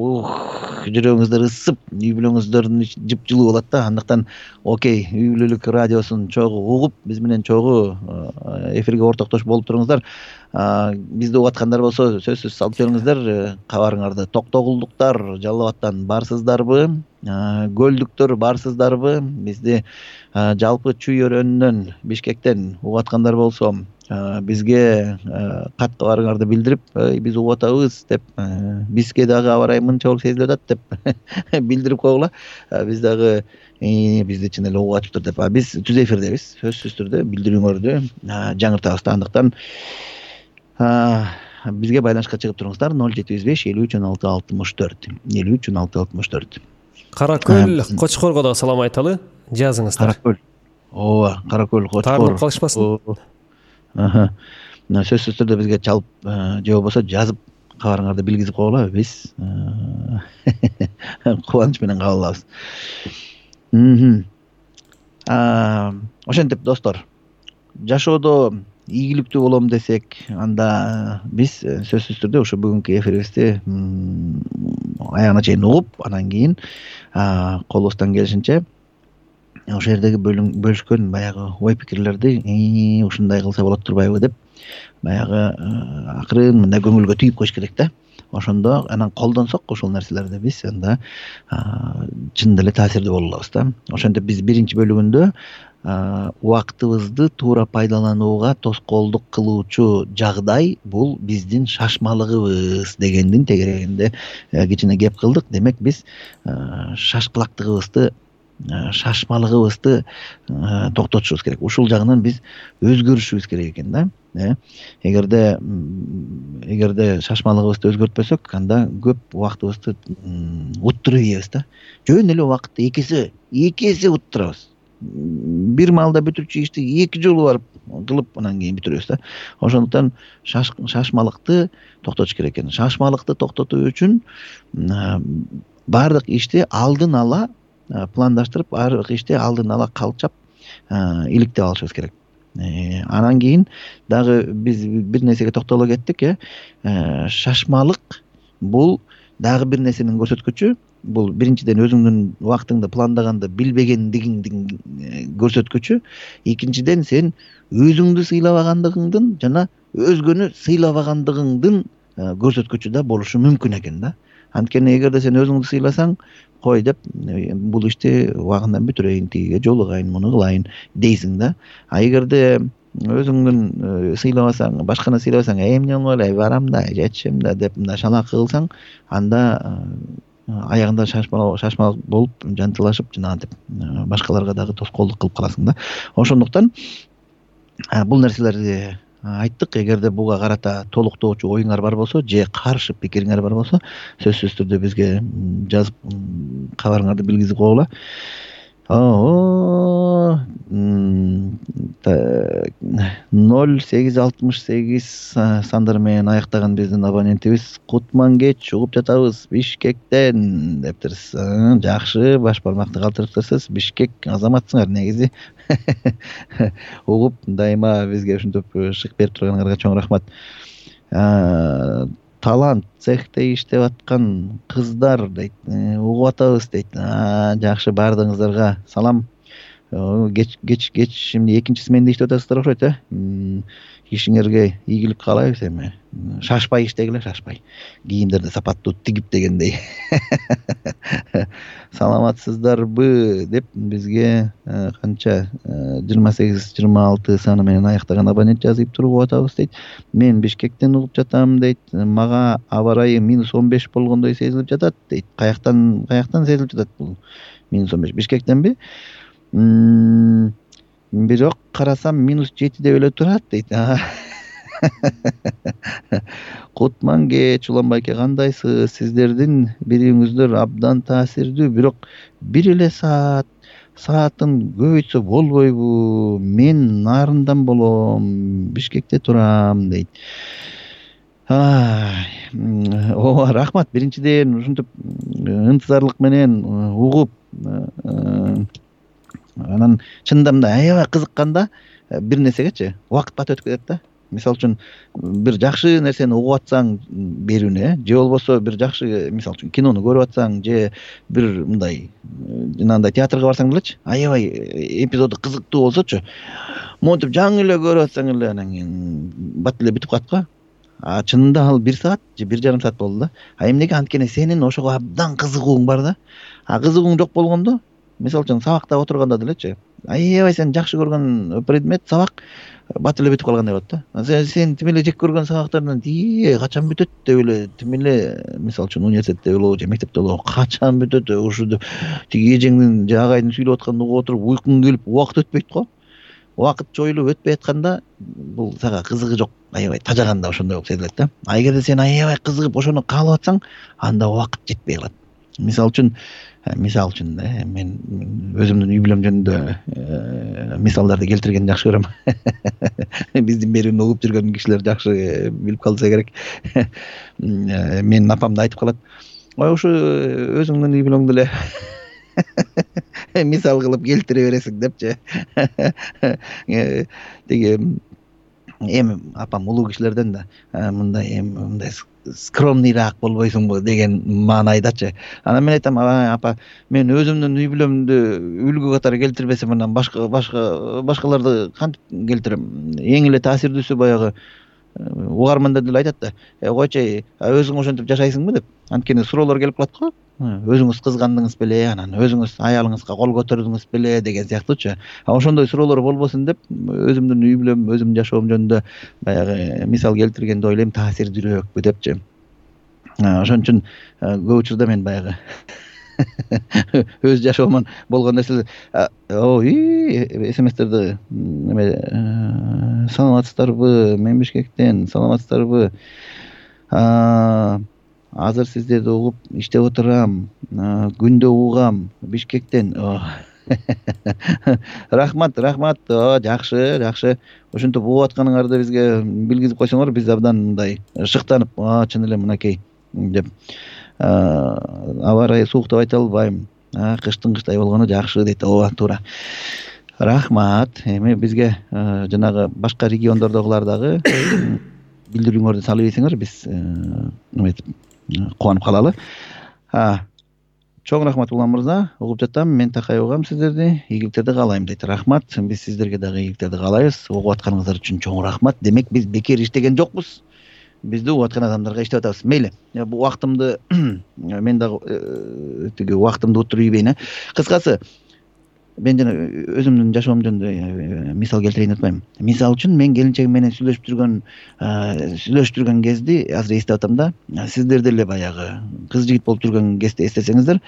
жүрөгүңүздөр ысып, үй бүлөңүздөрдүн жыпжылуу болот да. Андыктан Окей үй бүлөлүк радиосун чогуу угуп, биз менен чогуу эфирге ортоктош болуп туруңуздар. Бизди угуп аткандар болсо, сөзсүз салып жибериңиздер кабарыңарды. Токтогулдуктар Жалал Абадтан барсыздарбы? Көлдүктөр барсыздарбы? Бизди жалпы Чүй өрөөнүнөн, Бишкектен угуп аткандар болсо, бизге кат кабарыңарды билдирип, биз угуп атабыз деп, бизге дагы аба ырайы мынча болуп сезилип атат деп билдирип койгула. Биз дагы бизди чын эле угуп атыптыр деп. Биз түз эфирдебиз, сөзсүз түрдө билдирүүңөрдү жаңыртабыз. Андыктан бизге байланышка чыгып туруңуздар. ноль жети жүз беш элүү үч он алты алтымыш төрт, элүү үч он алты алтымыш төрт. Каракөл, Кочкорго да салам айталы, жазыңыздар. Каракөл. Ооба, Каракөл, Кочкор. Таарынып калышпасын. Аха. Сөзсүз түрдө бизге чалып, же болбосо жазып кабарыңарды билгизип койгула. Биз кубаныч менен кабыл алабыз. Ошентип достор, жашоодо ийгиликтүү болом десек, анда биз сөзсүз түрдө ошо бүгүнкү эфирибизди аягына чейин угуп, анан кийин колубуздан келишинче ошол жердеги бөлүшкөн баягы ой пикирлерди ушундай кылса болот турбайбы деп баягы акырын мындай көңүлгө түйүп коюш керек да. Ошондо анан колдонсок ошол нерселерди биз анда чынында эле таасирдүү боло алабыз да. Ошентип биз биринчи бөлүгүндө убактыбызды туура пайдаланууга тоскоолдук кылуучу жагдай бул биздин шашмалыгыбыз дегендин тегерегинде кичине кеп кылдык. Демек биз шашкылактыгыбызды шашмалыгыбызды токтотушубуз керек. Ушул жагынан биз өзгөрүшүбүз керек экен да. Эгерде эгерде шашмалыгыбызды өзгөртпөсөк, анда көп убактыбызды уттуруп ийебиз да. Жөн эле убакытты экиси экиси уттурабыз. Бир маалда бүтүрчү ишти эки жолу барып кылып анан кийин бүтүрөбүз да. Ошондуктан шашмалыкты токтотуш керек экен. Шашмалыкты токтотуу үчүн баардык ишти алдын ала пландаштырып, баардык ишти алдын ала калчап, иликтеп алышыбыз керек. Анан кийин дагы биз бир нерсеге токтоло кеттик, э. Шашмалык бул дагы бир нерсенин көрсөткүчү. Бул биринчиден өзүңдүн убактыңды пландаганды билбегендигиңдин көрсөткүчү. Экинчиден сен өзүңдү сыйлабагандыгыңдын жана өзгөнү сыйлабагандыгыңдын көрсөткүчү да болушу мүмкүн экен да. Анткени эгерде сен өзүңдү сыйласаң, кой деп бул ишти убагында бүтүрөйүн, тигиге жолугайын, муну кылайын дейсиң да. А эгерде өзүңдүн сыйлабасаң, башканы сыйлабасаң, эмне болмой эле барам да, жетишем да деп мындай шалакы кылсаң, анда аягында шашмалык болуп, жантылашып, жанагынтип башкаларга дагы тоскоолдук кылып каласың да. Ошондуктан бул нерселерди айттык. Эгерде буга карата толуктоочу оюңар бар болсо, же каршы пикириңер бар болсо, сөзсүз түрдө бизге жазып кабарыңарды билгизип койгула. ноль сегиз алтымыш сегиз сандары менен аяктаган биздин абонентибиз Кутмангеч угуп жатабыз Бишкектен дептирсиз. Жакшы, баш бармакты калтырыптырсыз. Бишкек азаматсыңар негизи. Угуп дайыма бизге ушинтип шык берип турганыңарга чоң рахмат. талант цехте иштеп аткан кыздар дейт, угуп атабыз дейт. Жакшы, баардыгыңыздарга салам. Кеч кеч кеч эмне экинчи сменде иштеп атасыздар окшойт э. Ишиңерге ийгилик каалайбыз эми. Шашпай иштегиле, шашпай. Кийимдерди сапаттуу тигип дегендей. Саламатсыздарбы деп бизге канча жыйырма сегиз жыйырма алты саны менен аяктаган абонент жазып туруп угуп атабыз дейт. Мен Бишкектен угуп жатам дейт. Мага аба ырайы минус он беш болгондой сезилип жатат дейт. Каяктан каяктан сезилип жатат бул минус он беш? Бишкектенби? Бирок карасам минус жети деп эле турат дейт. Кутманге Чуланбайке, кандайсыз? Сиздердин берүүңүздөр абдан таасирдүү, бирок бир эле саат саатын көбөйтсө болбойбу? Мен Нарындан болом, Бишкекте турам дейт. Ооба, рахмат. Биринчиден ушинтип ынтызарлык менен угуп, анан чынында мындай аябай кызыкканда бир нерсегечи убакыт бат өтүп кетет да. Мисалы үчүн бир жакшы нерсени угуп атсаң берүүнү, же болбосо бир жакшы, мисалы үчүн кинону көрүп атсаң, же бир мындай жанагындай театрга барсаң делечи, аябай эпизоду кызыктуу болсочу, монтип жаңы эле көрүп атсаң эле анан кийин бат эле бүтүп калат го. А чынында ал бир саат же бир жарым саат болду да. А эмнеге? Анткени сенин ошого абдан кызыгууң бар да. А кызыгууң жок болгондо, мисалы үчүн сабакта отурганда делечи, аябай сен жакшы көргөн предмет, сабак бат эле бүтүп калгандай болот да. Сен сен тим эле жек көргөн сабактардан ии качан бүтөт деп эле, тим эле мисалы үчүн университетте болобу же мектепте болобу, качан бүтөт ушу тиги эжеңдин же агайдын сүйлөп атканын угуп отуруп уйкуң келип убакыт өтпөйт го. Убакыт жоюлуп өтпөй атканда бул сага кызыгы жок, аябай тажаганда ошондой болуп сезилет да. А эгерде сен аябай кызыгып ошону каалап атсаң, анда убакыт жетпей калат. Мисалы үчүн мисал үчүн мен өзүмдүн үй бүлөм жөнүндө мисалдарды келтиргенди жакшы көрөм. Биздин берүүнү угуп жүргөн кишилер жакшы билип калса керек. Менин апам да айтып калат, ой ушу өзүңдүн үй бүлөңдү эле мисал кылып келтире бересиң депчи. Тиги эми апам улуу кишилерден да мындай эми мындай скромныйраак болбойсуңбу деген маанайдачы. Анан мен айтам, апа, мен өзүмдүн үй бүлөмдү үлгү катары келтирбесем анан башка башка башкаларды кантип келтирем? Эң эле таасирдүүсү баягы угармандар деле айтат да, койчу, өзүң ошентип жашайсыңбы деп. Анткени суроолор келип калат го. Өзүңүз кызгандыңыз беле, анан өзүңүз аялыңызга кол көтөрдүңүз беле деген сыяктуучу. А ошондой суроолор болбосун деп өзүмдүн үй бүлөм, өзүмдүн жашоом жөнүндө баягы мисал келтиргенди ойлойм, таасирдүүрөөкпү депчи. Ошон үчүн көп учурда мен баягы өз жашоомон болгон нерселер, ой, смстерди эме саламатсыздарбы, мен Бишкектен, саламатсыздарбы, азыр сиздерди угуп иштеп отурам, күндө угам, Бишкектен. Рахмат, рахмат, жакшы, жакшы. Ошентип угуп атканыңарды бизге билгизип койсоңор, биз абдан мындай шыктанып, чын эле мынакей деп. Аба ырайы суук деп айта албайм. Кыштын кыштай болгону жакшы дейт. Ооба, туура. Рахмат. Эми бизге жанагы башка региондордогулар дагы билдирүүңөрдү салып ийсеңер, биз эметип кубанып калалы. Чоң рахмат Улан мырза. Угуп жатам, мен такай угам сиздерди. Ийгиликтерди каалайм дейт. Рахмат. Биз сиздерге дагы ийгиликтерди каалайбыз. Угуп атканыңыздар үчүн чоң рахмат. Демек биз бекер иштеген жокпуз. Бизди угуп аткан адамдарга иштеп атабыз. Мейли. Бул убактымды мен дагы тиги убактымды утуруп ийбейин. Кыскасы, мен жана өзүмдүн жашоом жөнүндө мисал келтирейин деп атпайм. Мисал үчүн мен келинчегим менен сүйлөшүп жүргөн сүйлөшүп жүргөн кезди азыр эстеп атам да. Сиздер деле баягы кыз жигит болуп жүргөн кезде эстесеңиздер,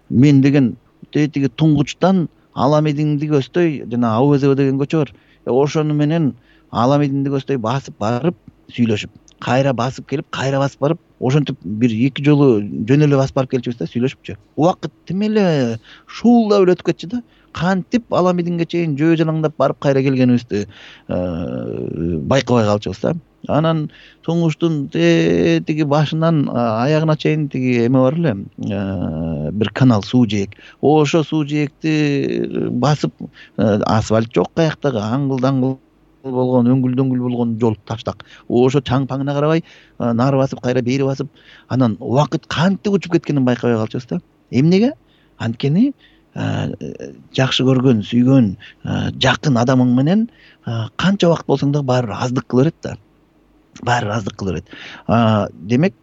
мен деген тиги туңгучтан Аламединди көздөй, жана Абу-Безева деген көчө бар. Ошону менен Аламединди көздөй басып барып сүйлөшүп, кайра басып келип, кайра басып барып, ошентип бир эки жолу жөн эле басып барып келчүбүз да, сүйлөшүпчү. Убакыт тим эле шуулдап эле өтүп кетчү да. Кантип Аламединге чейин жөө жалаңдап барып кайра келгенибизди байкабай калчубуз да. Анан туңгуштун тиги башынан аягына чейин тиги эме бар эле, бир канал, суу жээк. Ошо суу жээкти басып, асфальт жок каяктагы, аңгыл-даңгыл болгон, өңгүл-дөңгүл болгон жол таштак. Ошо чаң-паңына карабай нары басып, кайра бери басып, анан убакыт кантип учуп кеткенин байкабай калчубуз да. Эмнеге? Анткени жакшы көргөн, сүйгөн, жакын адамың менен канча убакыт болсоң да баары аздык кыла берет да. Баары аздык кыла берет. Демек,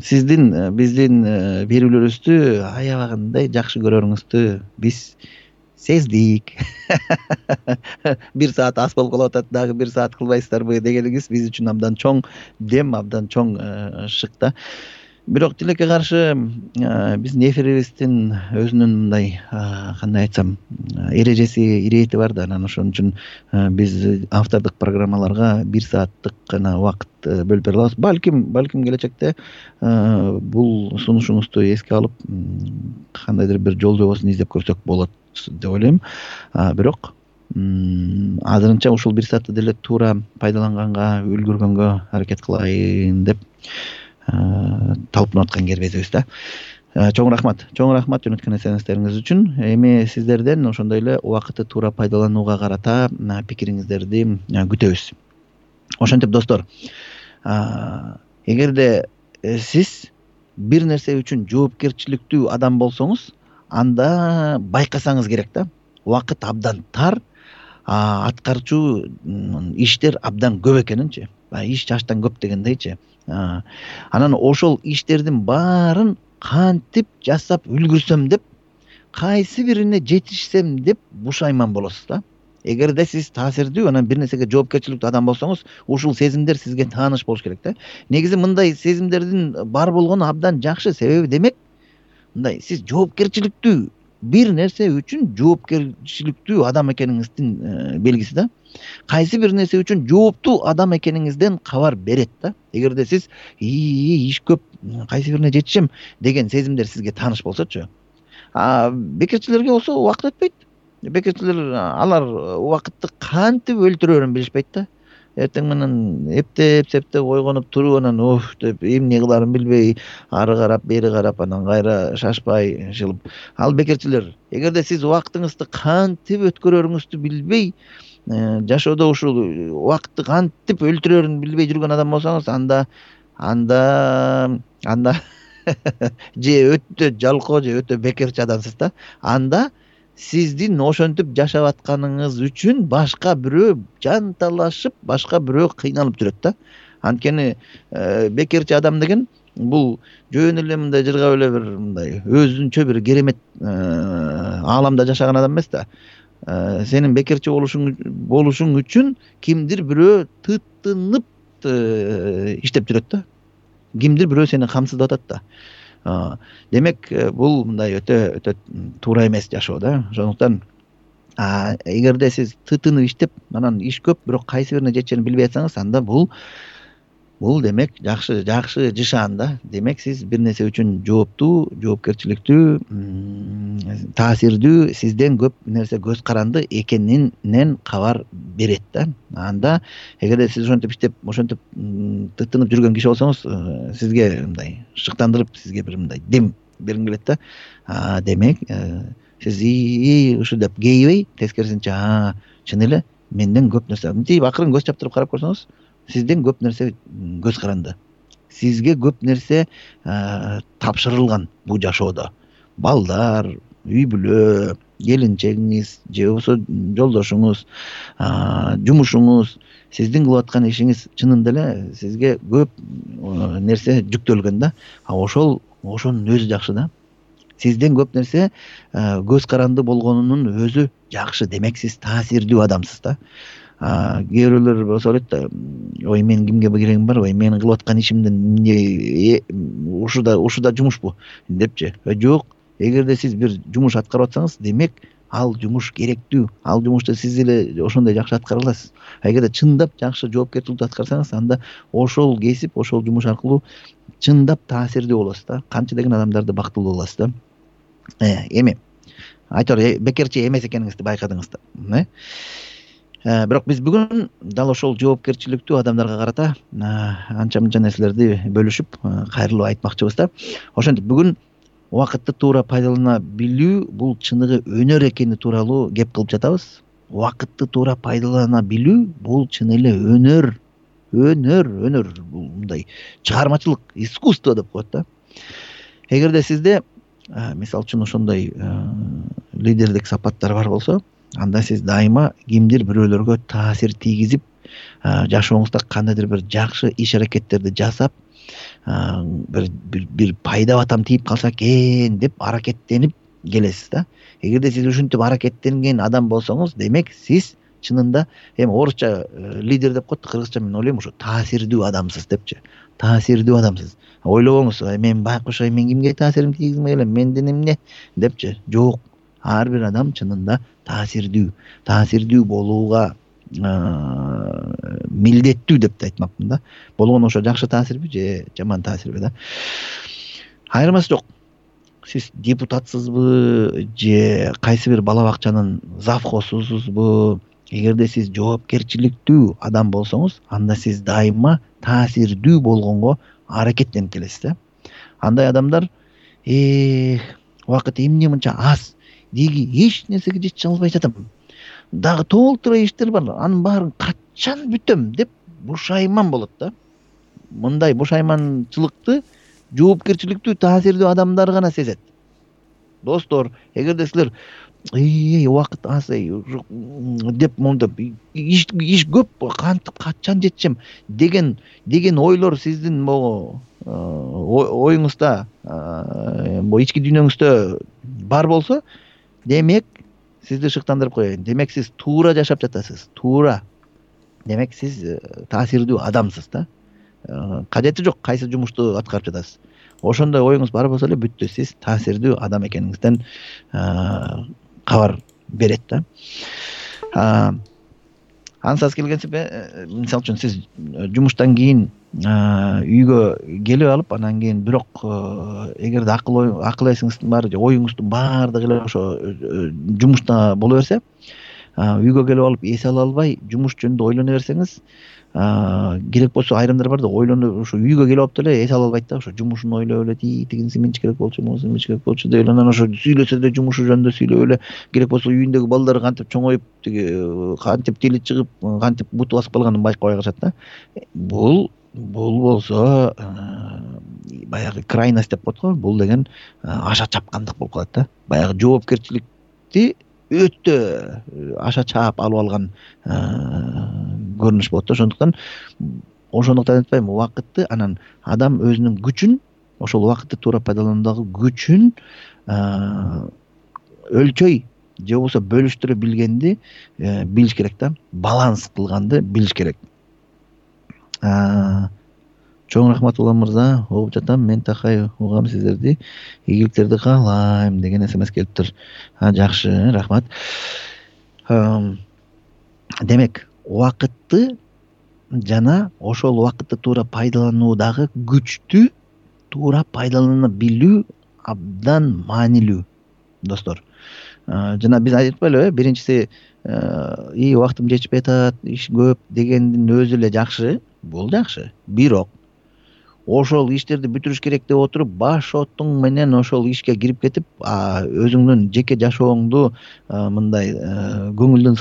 сиздин биздин берүүлөрүбүздү аябагандай жакшы көрөрүңүздү биз сездик. Бир саат аз болуп калып атат, дагы бир саат кылбайсыздарбы дегениңиз биз үчүн абдан чоң дем, абдан чоң шык да. Бирок тилекке каршы биздин эфирибиздин өзүнүн мындай кандай айтсам эрежеси, ирети бар да. Анан ошон үчүн биз автордук программаларга бир сааттык гана убакыт бөлүп бере алабыз. Балким, балким келечекте бул сунушуңузду эске алып, кандайдыр бир жол жобосун издеп көрсөк болот деп ойлойм. Бирок азырынча ушул бир саатты деле туура пайдаланганга, үлгүргөнгө аракет кылайын деп талпынып аткан кербезибиз да. Чоң рахмат, чоң рахмат жөнөткөн эсенистериңиз үчүн. Эми сиздерден ошондой эле убакытты туура пайдаланууга карата пикириңиздерди күтөбүз. Ошентип достор, эгерде сиз бир нерсе үчүн жоопкерчиликтүү адам болсоңуз, анда байкасаңыз керек да. Убакыт абдан тар, аткарчу иштер абдан көп экенинчи. Иш чачтан көп дегендейчи. Анан ошол иштердин баарын кантип жасап үлгүрсөм деп, кайсы бирине жетишсем деп бушайман болосуз да. Эгерде сиз таасирдүү, анан бир нерсеге жоопкерчиликтүү адам болсоңуз, ушул сезимдер сизге тааныш болуш керек да. Негизи мындай сезимдердин бар болгону абдан жакшы. Себеби демек, мындай сиз жоопкерчиликтүү бир нерсе үчүн жоопкерчиликтүү адам экениңиздин белгиси да. Кайсы бир нерсе үчүн жооптуу адам экениңизден кабар берет да. Эгерде сиз иш көп, кайсы бирине жетишем деген сезимдер сизге тааныш болсочу. А бекерчилерге болсо убакыт өтпөйт. Бекерчилер алар убакытты кантип өлтүрөрүн билишпейт да. Эртең менен эптеп, септеп ойгонуп туруп, анан оф деп эмне кыларын билбей, ары карап, бери карап, анан кайра шашпай жылып. Ал бекерчилер. Эгерде сиз убактыңызды кантип өткөрөрүңүздү билбей, жашоодо ушул убакытты кантип өлтүрөрүн билбей жүргөн адам болсоңуз, анда анда анда же өтө жалкоо, же өтө бекерчи адамсыз да. Анда сиздин ошентип жашап атканыңыз үчүн башка бирөө жанталашып, башка бирөө кыйналып жүрөт да. Анткени бекерчи адам деген бул жөн эле мындай жыргап эле бир мындай өзүнчө бир керемет ааламда жашаган адам эмес да. Сенин бекерчи болушуң болушуң үчүн кимдир бирөө тыттынып иштеп жүрөт да. Кимдир бирөө сени камсыздап атат да. Демек, бул мындай өтө өтө туура эмес жашоо да. Ошондуктан эгерде сиз тытынып иштеп, анан иш көп, бирок кайсы бирине жетишерин билбей атсаңыз, анда бул бул демек жакшы жакшы жышаан да. Демек, сиз бир нерсе үчүн жооптуу, жоопкерчиликтүү, таасирдүү, сизден көп нерсе көз каранды экенинен кабар берет да. Анда эгерде сиз ошентип иштеп, ошентип тытынып жүргөн киши болсоңуз, сизге мындай шыктандырып, сизге бир мындай дем бергим келет да. Демек, сиз и ушу деп кейбей, тескерисинче, чын эле менден көп нерсе. Мынтип акырын көз чаптырып карап көрсөңүз, сизден көп нерсе көз каранды. Сизге көп нерсе тапшырылган бул жашоодо. Балдар, үй бүлө, келинчегиңиз, же болбосо жолдошуңуз, жумушуңуз, сиздин кылып аткан ишиңиз чынында эле сизге көп нерсе жүктөлгөн да. А ошол ошонун өзү жакшы да. Сизден көп нерсе көз каранды болгонунун өзү жакшы. Демек, сиз таасирдүү адамсыз да. Кээ бирөөлөр болсо элет да, ой мен кимге керегим бар, ой менин кылып аткан ишимден ушуда ушуда жумушпу депчи. Жок, эгерде сиз бир жумуш аткарып атсаңыз, демек ал жумуш керектүү. Ал жумушту сиз эле ошондой жакшы аткара аласыз. Эгерде чындап жакшы жоопкерчиликтүү аткарсаңыз, анда ошол кесип, ошол жумуш аркылуу чындап таасирдүү болосуз да. Канча деген адамдарды бактылуу кыласыз да. Эми айтор бекерчи эмес экениңизди байкадыңыз да. Бирок биз бүгүн дал ошол жоопкерчиликтүү адамдарга карата анча-мынча нерселерди бөлүшүп, кайрылып айтмакчыбыз да. Ошентип бүгүн убакытты туура пайдалана билүү бул чыныгы өнөр экени тууралуу кеп кылып жатабыз. убакытты туура пайдалана билүү бул чын эле өнөр өнөр өнөр бул мындай чыгармачылык, искусство деп коет да. Эгерде сизде мисалы үчүн ошондой лидердик сапаттар бар болсо, анда сиз дайыма кимдир бирөөлөргө таасир тийгизип, жашооңузда кандайдыр бир жакшы иш аракеттерди жасап, бир бир пайда батам тийип калса экен деп аракеттенип келесиз да. Эгерде сиз ушинтип аракеттенген адам болсоңуз, демек сиз чынында эми орусча лидер деп коет, кыргызча мен ойлойм ошо таасирдүү адамсыз депчи. Таасирдүү адамсыз. Ойлобоңуз, мен байкуш, мен кимге таасирим тийгизмей элем, менден эмне депчи. Жок. Ар бир адам чынында таасирдүү. Таасирдүү болууга милдеттүү деп да айтмакмын да. Болгону ошо жакшы таасирби же жаман таасирби да. Айырмасы жок. Сиз депутатсызбы же кайсы бир бала бакчанын завхозусузбу, эгерде сиз жоопкерчиликтүү адам болсоңуз, анда сиз дайыма таасирдүү болгонго аракеттенип келесиз да. Андай адамдар э убакыт эмне мынча аз, деги эч нерсеге жете албай жатам, дагы толтура иштер бар, анын баарын качан бүтөм деп бушайман болот да. Мындай бушайманчылыкты жоопкерчиликтүү таасирдүү адамдар гана сезет. Достор, эгерде силер эй убакыт аз деп мондоп иш иш көп, кантип качан жетишем деген деген ойлор сиздин могу оюңузда, бу ички дүйнөңүздө бар болсо, демек сизди шыктандырып коеюн. Демек сиз туура жашап жатасыз. Туура. Демек сиз таасирдүү адамсыз да. Кажети жок кайсы жумушту аткарып жатасыз. Ошондой оюңуз бар болсо эле бүттү, сиз таасирдүү адам экениңизден кабар берет да. Ансыз келгенсип, мисалы үчүн сиз жумуштан кийин үйгө келип алып, анан кийин бирок эгерде акыл акыл эсиңиздин баары же оюңуздун баардыгы эле ошо жумушта боло берсе, үйгө келип алып эс ала албай жумуш жөнүндө ойлоно берсеңиз, керек болсо айрымдар бар да, ойлонуп ошо үйгө келип алып деле эс ала албайт да, ошо жумушун ойлоп эле тигинси эмнечи керек болчу, могусу эмнечи керек болчу деп анан ошо сүйлөсө да жумушу жөнүндө сүйлөп эле, керек болсо үйүндөгү балдары кантип чоңоюп, тиги кантип тили чыгып, кантип буту басып калганын байкабай калышат да. Бул бул болсо баягы крайность деп коет го, бул деген аша чапкандык болуп калат да. Баягы жоопкерчиликти өтө аша чаап алып алган көрүнүш болот да. Ошондуктан ошондуктан айтпайм, убакытты анан адам өзүнүн күчүн, ошол убакытты туура пайдалануудагы күчүн өлчөй же болбосо бөлүштүрө билгенди билиш керек да. Баланс кылганды билиш керек. Чоң рахмат Улам мырза, угуп жатам, мен такай угам сиздерди, ийгиликтерди каалайм деген смс келиптир. Жакшы, рахмат. Демек, убакытты жана ошол убакытты туура пайдалануудагы күчтү туура пайдалана билүү абдан маанилүү, достор. Жана биз айтпайлыбы, биринчиси и убактым жетишпей атат, иш көп дегендин өзү эле жакшы, бул жакшы. Бирок ошол иштерди бүтүрүш керек деп отуруп, баш отуң менен ошол ишке кирип кетип, өзүңдүн жеке жашооңду мындай көңүлдүн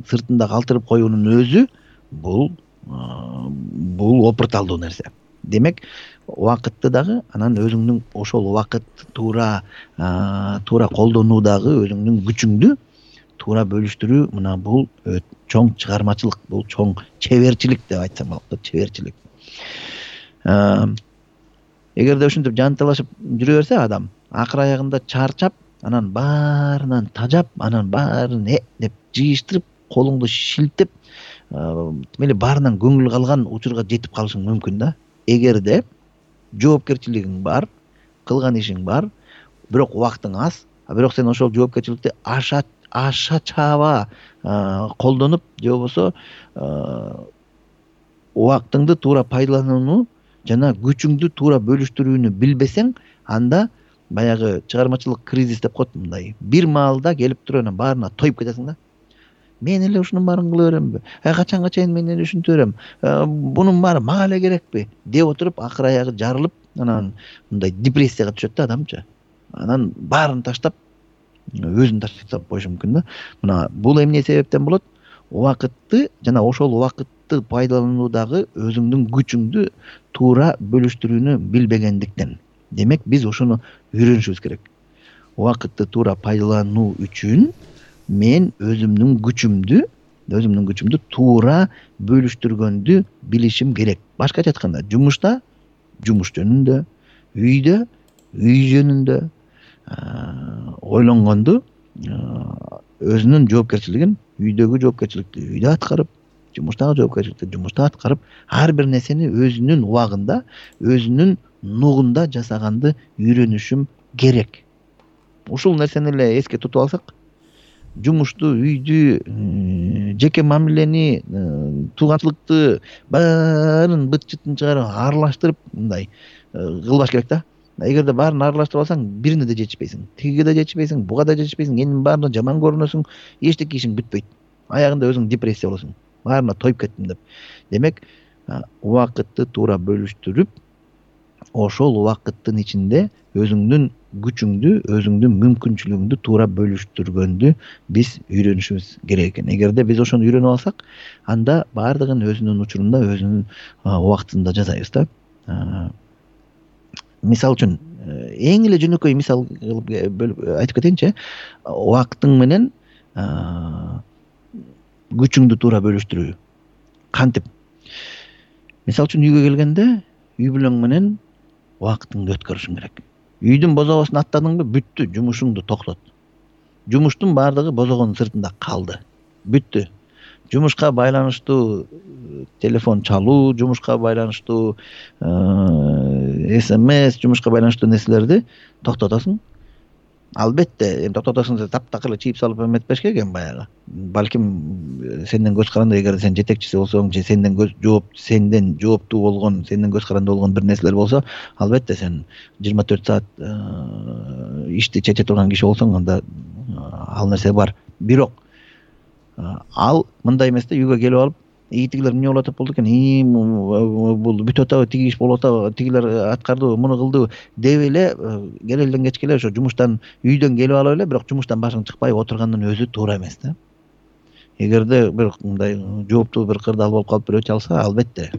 сыртында калтырып коюунун өзү бул бул опурталдуу нерсе. Демек, убакытты дагы анан өзүңдүн ошол убакытты туура туура колдонуудагы өзүңдүн күчүңдү туура бөлүштүрүү, мына бул чоң чыгармачылык, бул чоң чеберчилик деп айтсам болот да, чеберчилик. Эгерде ушинтип жанталашып жүрө берсе адам, акыр аягында чарчап, анан баарынан тажап, анан баарын э деп жыйыштырып, колуңду шилтеп, мели баарынан көңүл калган учурга жетип калышың мүмкүн да. Эгерде жоопкерчилигиң бар, кылган ишиң бар, бирок убактың аз, бирок сен ошол жоопкерчиликти аша аша чаба колдонуп, же болбосо убактыңды туура пайдаланууну жана күчүңдү туура бөлүштүрүүнү билбесең, анда баягы чыгармачылык кризис деп коет, мындай бир маалда келип туруп анан баарына тоюп кетесиң да. Мен эле ушунун баарын кыла беремби? Э качанга чейин мен эле ушинте берем? Бунун баары мага эле керекпи? деп отуруп, акыр аягы жарылып, анан мындай депрессияга түшөт да адамчы. Анан баарын таштап, өзүн таштап коюшу мүмкүн да. Мына бул эмне себептен болот? Убакытты жана ошол убакытты пайдалануудагы өзүңдүн күчүңдү туура бөлүштүрүүнү билбегендиктен. Демек биз ошону үйрөнүшүбүз керек. Убакытты туура пайдалануу үчүн мен өзүмдүн күчүмдү, өзүмдүн күчүмдү туура бөлүштүргөндү билишим керек. Башкача айтканда, жумушта жумуш жөнүндө, үйдө үй жөнүндө ойлонгонду, өзүнүн жоопкерчилигин үйдөгү жоопкерчиликти үйдө аткарып, жумуштагы жоопкерчиликти жумушта аткарып, ар бир нерсени өзүнүн убагында, өзүнүн нугунда жасаганды үйрөнүшүм керек. Ушул нерсени эле эске тутуп алсак, жумушту, үйдү, жеке мамилени, тууганчылыкты баарын быт-чытын чыгарып, аралаштырып мындай кылбаш керек да. Эгерде баарын аралаштырып алсаң, бирине да жетишпейсиң. Тигиге да жетишпейсиң, буга да жетишпейсиң, энин баарына жаман көрүнөсүң, эчтеке ишиң бүтпөйт. Аягында өзүң депрессия болосуң. Баарына тоюп кеттим деп. Демек, убакытты туура бөлүштүрүп, ошол убакыттын ичинде өзүңдүн күчүңдү, өзүңдүн мүмкүнчүлүгүңдү туура бөлүштүргөндү биз үйрөнүшүбүз керек экен. Эгерде биз ошону үйрөнүп алсак, анда баардыгын өзүнүн учурунда, өзүнүн убактында жасайбыз да. Мисал үчүн, эң эле жөнөкөй мисал кылып айтып кетейинчи, убактың менен күчүңдү туура бөлүштүрүү. Кантип? Мисал үчүн үйгө келгенде, үй бүлөң менен убактыңды өткөрүшүң керек. Үйдүн бозогосун аттадыңбы, бүттү, жумушуңду токтот. Жумуштун баардыгы бозогонун сыртында калды. Бүттү. Жумушка байланыштуу телефон чалуу, жумушка байланыштуу смс, жумушка байланыштуу нерселерди токтотосуң. Албетте, эми токтотосуң деп таптакыр эле чийип салып эметпеш керек эми баягы. Балким сенден көз каранды, эгер сен жетекчиси болсоң, же сенден көз жооп, сенден жооптуу болгон, сенден көз каранды болгон бир нерселер болсо, албетте сен жыйырма төрт саат ишти чече турган киши болсоң, анда ал нерсе бар. Бирок ал мындай эмес да, үйгө келип алып, и тигилер эмне болуп атат болду экен, и бул бүтүп атабы, тиги иш болуп атабы, тигилер аткарды, муну кылды деп эле кел элден кечке эле ошо жумуштан, үйдөн келип алып эле, бирок жумуштан башың чыкпай отургандын өзү туура эмес да. Эгерде бир мындай жооптуу бир кырдаал болуп калып бирөө чалса, албетте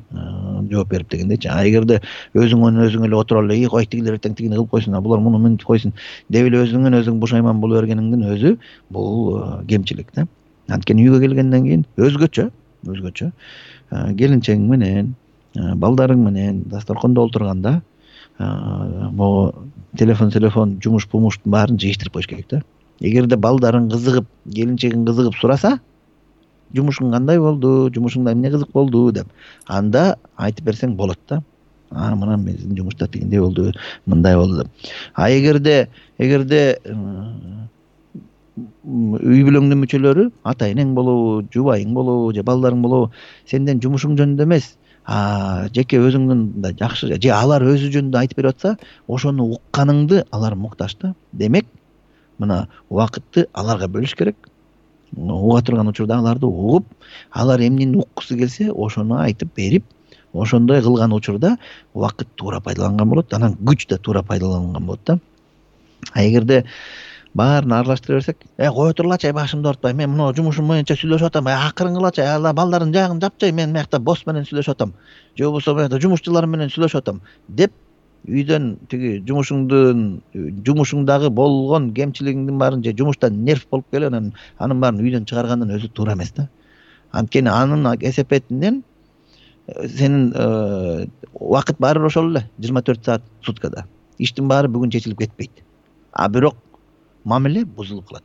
жооп берип дегендейчи. А эгерде өзүң менен өзүң эле отуруп эле, и кой тигилер эртең тигини кылып койсун, а булар муну мынтип койсун деп эле өзүңөн өзүң бушайман боло бергениңдин өзү бул кемчилик да. Анткени үйгө келгенден кийин өзгөчө, өзгөчө келинчең менен, балдарың менен дасторкондо отурганда могу телефон, телефон, жумуш, пумуштун баарын жыйыштырып коюш керек да. Эгерде балдарың кызыгып, келинчегиң кызыгып сураса, жумушуң кандай болду, жумушуңда эмне кызык болду деп, анда айтып берсең болот да. А мына биздин жумушта тигиндей болду, мындай болду деп. А эгерде эгерде үй бүлөңдүн мүчөлөрү, ата энең болобу, жубайың болобу, же балдарың болобу, сенден жумушуң жөнүндө эмес, а жеке өзүңдүн да жакшы, же алар өзү жөнүндө айтып берип атса, ошону укканыңды алар муктаж да. Демек, мына убакытты аларга бөлүш керек. Уга турган учурда аларды угуп, алар эмнени уккусу келсе, ошону айтып берип, ошондой кылган учурда убакыт туура пайдаланган болот, анан күч да туура пайдаланган болот да. А эгерде баарын аралаштыра берсек, э кое турлачы, башымды ортпай, мен мына жумушум боюнча сүйлөшүп атам, акырын кылачы, ала балдардын жагын жапчы, мен мыякта босс менен сүйлөшүп атам, же болбосо мыякта жумушчулар менен сүйлөшүп атам деп, үйдөн тиги жумушуңдун, жумушуңдагы болгон кемчилигиңдин баарын, же жумуштан нерв болуп келип, анан анын баарын үйдөн чыгаргандын өзү туура эмес да. Анткени анын эсепетинен сенин убакыт баары бир ошол эле, жыйырма төрт саат суткада. Иштин баары бүгүн чечилип кетпейт. А бирок мамиле бузулуп калат.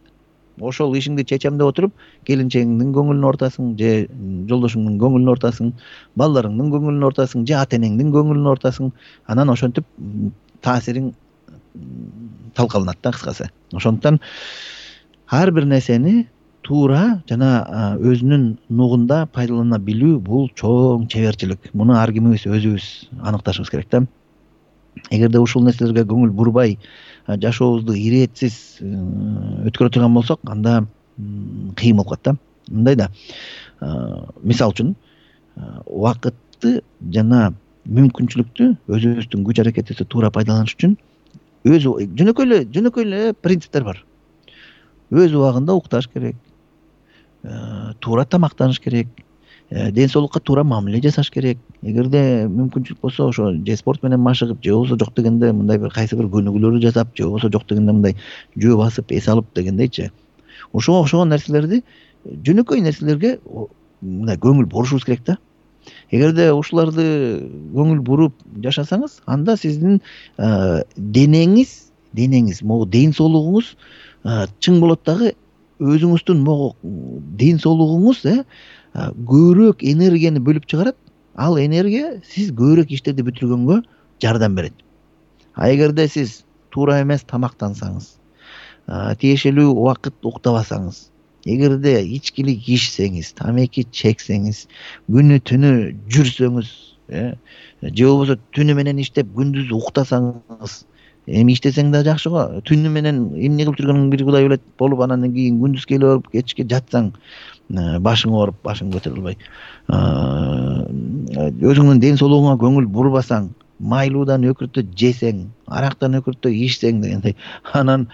Ошол ишиңди чечем деп отуруп, келинчегиңдин көңүлүн ортасың, же жолдошуңдун көңүлүн ортасың, балдарыңдын көңүлүн ортасың, же ата энеңдин көңүлүн ортасың. Анан ошентип таасириң талкаланат да, кыскасы. Ошондуктан ар бир нерсени туура жана өзүнүн нугунда пайдалана билүү бул чоң чеберчилик. Муну ар кимибиз өзүбүз аныкташыбыз керек да. Эгерде ушул нерселерге көңүл бурбай, жашообузду иретсиз өткөрө турган болсок, анда кыйын болуп калат да. Мындай да, мисал үчүн, убакытты жана мүмкүнчүлүктү өзүбүздүн күч аракетибизди туура пайдаланыш үчүн өз жөнөкөй эле жөнөкөй эле принциптер бар. өз убагында укташ керек, туура тамактаныш керек, ден соолукка туура мамиле жасаш керек. Эгерде мүмкүнчүлүк болсо ошо же спорт менен машыгып, же болбосо жок дегенде мындай бир кайсы бир көнүгүүлөрдү жасап, же болбосо жок дегенде мындай жөө басып, эс алып дегендейчи. Ошого окшогон нерселерди, жөнөкөй нерселерге мындай көңүл бурушубуз керек да. Эгерде ушуларды көңүл буруп жашасаңыз, анда сиздин денеңиз, денеңиз, могу ден соолугуңуз чың болот дагы, өзүңүздүн могу ден соолугуңуз көбүрөөк энергияны бөлүп чыгарат. Ал энергия сиз көбүрөөк иштерди бүтүргөнгө жардам берет. А эгерде сиз туура эмес тамактансаңыз, тиешелүү убакыт уктабасаңыз, эгерде ичкилик ичсеңиз, тамеки чексеңиз, күнү түнү жүрсөңүз, же болбосо түнү менен иштеп күндүз уктасаңыз, эми иштесең да жакшы го. Түнү менен эмне кылып жүргөнүң бир Кудай билет болуп, анан кийин күндүз келип барып кечке жатсаң, башың ооруп, башың көтөрүлө албай, өзүңдүн ден соолугуңа көңүл бурбасаң, майлуудан өкүртө жесең, арактан өкүртө ичсең дегендей, анан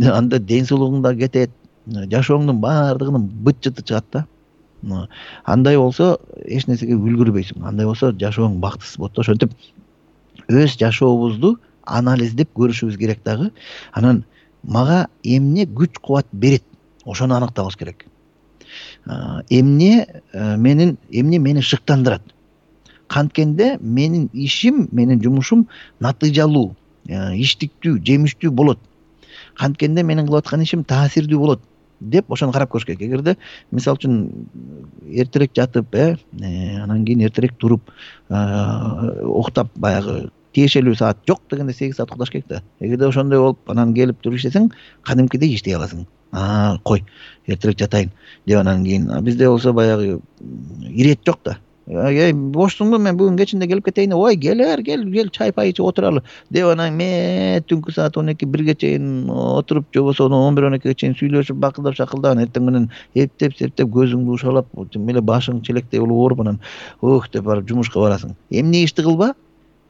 анда ден соолугуң да кетет, жашооңдун баардыгынын быт жыты чыгат да. Андай болсо эч нерсеге үлгүрбөйсүң. Андай болсо жашооң бактысыз болот. Ошентип өз жашообузду анализдеп көрүшүбүз керек дагы. Анан мага эмне күч кубат берет, ошону аныктабыз керек. Эмне менин эмне мени шыктандырат? Канткенде менин ишим, менин жумушум натыйжалуу, иштиктүү, жемиштүү болот. Канткенде менин кылып аткан ишим таасирдүү болот деп ошону карап көрүш керек. Эгерде мисалы үчүн эртерээк жатып, анан кийин эртерээк туруп, уктап, баягы тиешелүү саат жок дегенде сегиз саат укташ керек да. Эгерде ошондой болуп, анан келип туруп иштесең, кадимкидей иштей аласың. А, кой, эртерээк жатайын деп анан кийин бизде болсо баягы ирет жок да. Эй, бошсуңбу, мен бүгүн кечинде келип кетейин. Ой, келер, кел, кел, чай пай ичип отуралы деп анан ме түнкү саат он эки бирге чейин отуруп, же болбосо он бир он экиге чейин сүйлөшүп, бакылдап шакылдап, эртең менен эптеп, септеп, көзүңдү ушалап, эле башың челектей болуп ооруп, анан ух деп барып жумушка барасың. Эмне ишти кылба,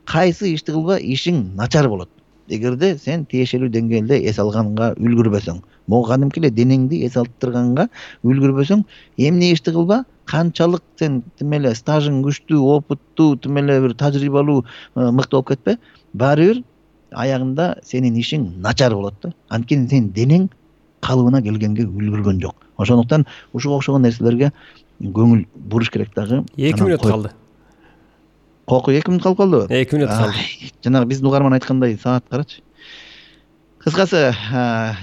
кайсы ишти кылба, ишиң начар болот. Эгерде сен тиешелүү деңгээлде эс алганга үлгүрбөсөң, могу кадимки эле денеңди эс алыптырганга үлгүрбөсөң, эмне ишти кылба, канчалык сен тим эле стажың күчтүү, опыттуу, тим эле бир тажрыйбалуу, мыкты болуп кетпе, баары бир аягында сенин ишиң начар болот да. Анткени сенин денең калыбына келгенге үлгүргөн жок. Ошондуктан ушуга окшогон нерселерге көңүл буруш керек дагы. эки мүнөт калды. Коку эки мүнөт калып калдыбы? эки мүнөт калды. Жанагы биздин угарман айткандай саат карачы. Кыскасы,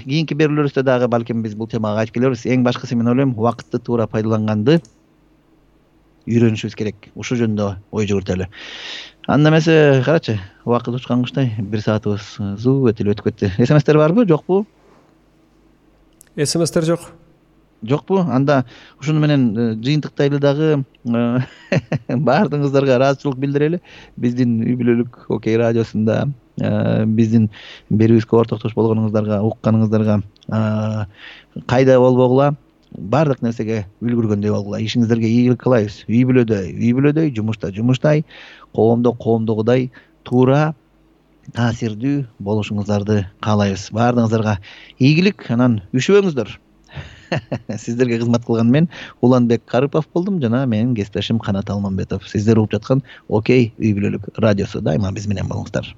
кийинки берүүлөрүбүздө дагы балким биз бул темага айтып келебиз. Эң башкысы мен ойлойм, убакытты туура пайдаланганды үйрөнүшүбүз керек. Ушул жөнүндө ой жүгүртөлү. Анда эмесе, карачы, убакыт учкан куштай бир саатыбыз зуу өтүп өтүп кетти. СМСтер барбы, жокпу? СМСтер жок. Жокпу? Анда ушуну менен жыйынтыктайлы дагы баардыгыңыздарга ыраазычылык билдирели. Биздин үй бүлөлүк Окей радиосунда биздин берүүбүзгө ортоктош болгонуңуздарга, укканыңыздарга кайда болбогула, баардык нерсеге үлгүргөндөй болгула. Ишиңиздерге ийгилик каалайбыз. Үй бүлөдөй, үй бүлөдөй, жумушта жумуштай, коомдо коомдогудай туура, таасирдүү болушуңуздарды каалайбыз. Баардыгыңыздарга ийгилик, анан үшүбөңүздөр. Сиздерге кызмат кылган мен Уланбек Карыпов болдум жана менин кесиптешим Канат Алмамбетов. Сиздер угуп жаткан Окей үй бүлөлүк радиосу. Дайыма биз менен болуңуздар.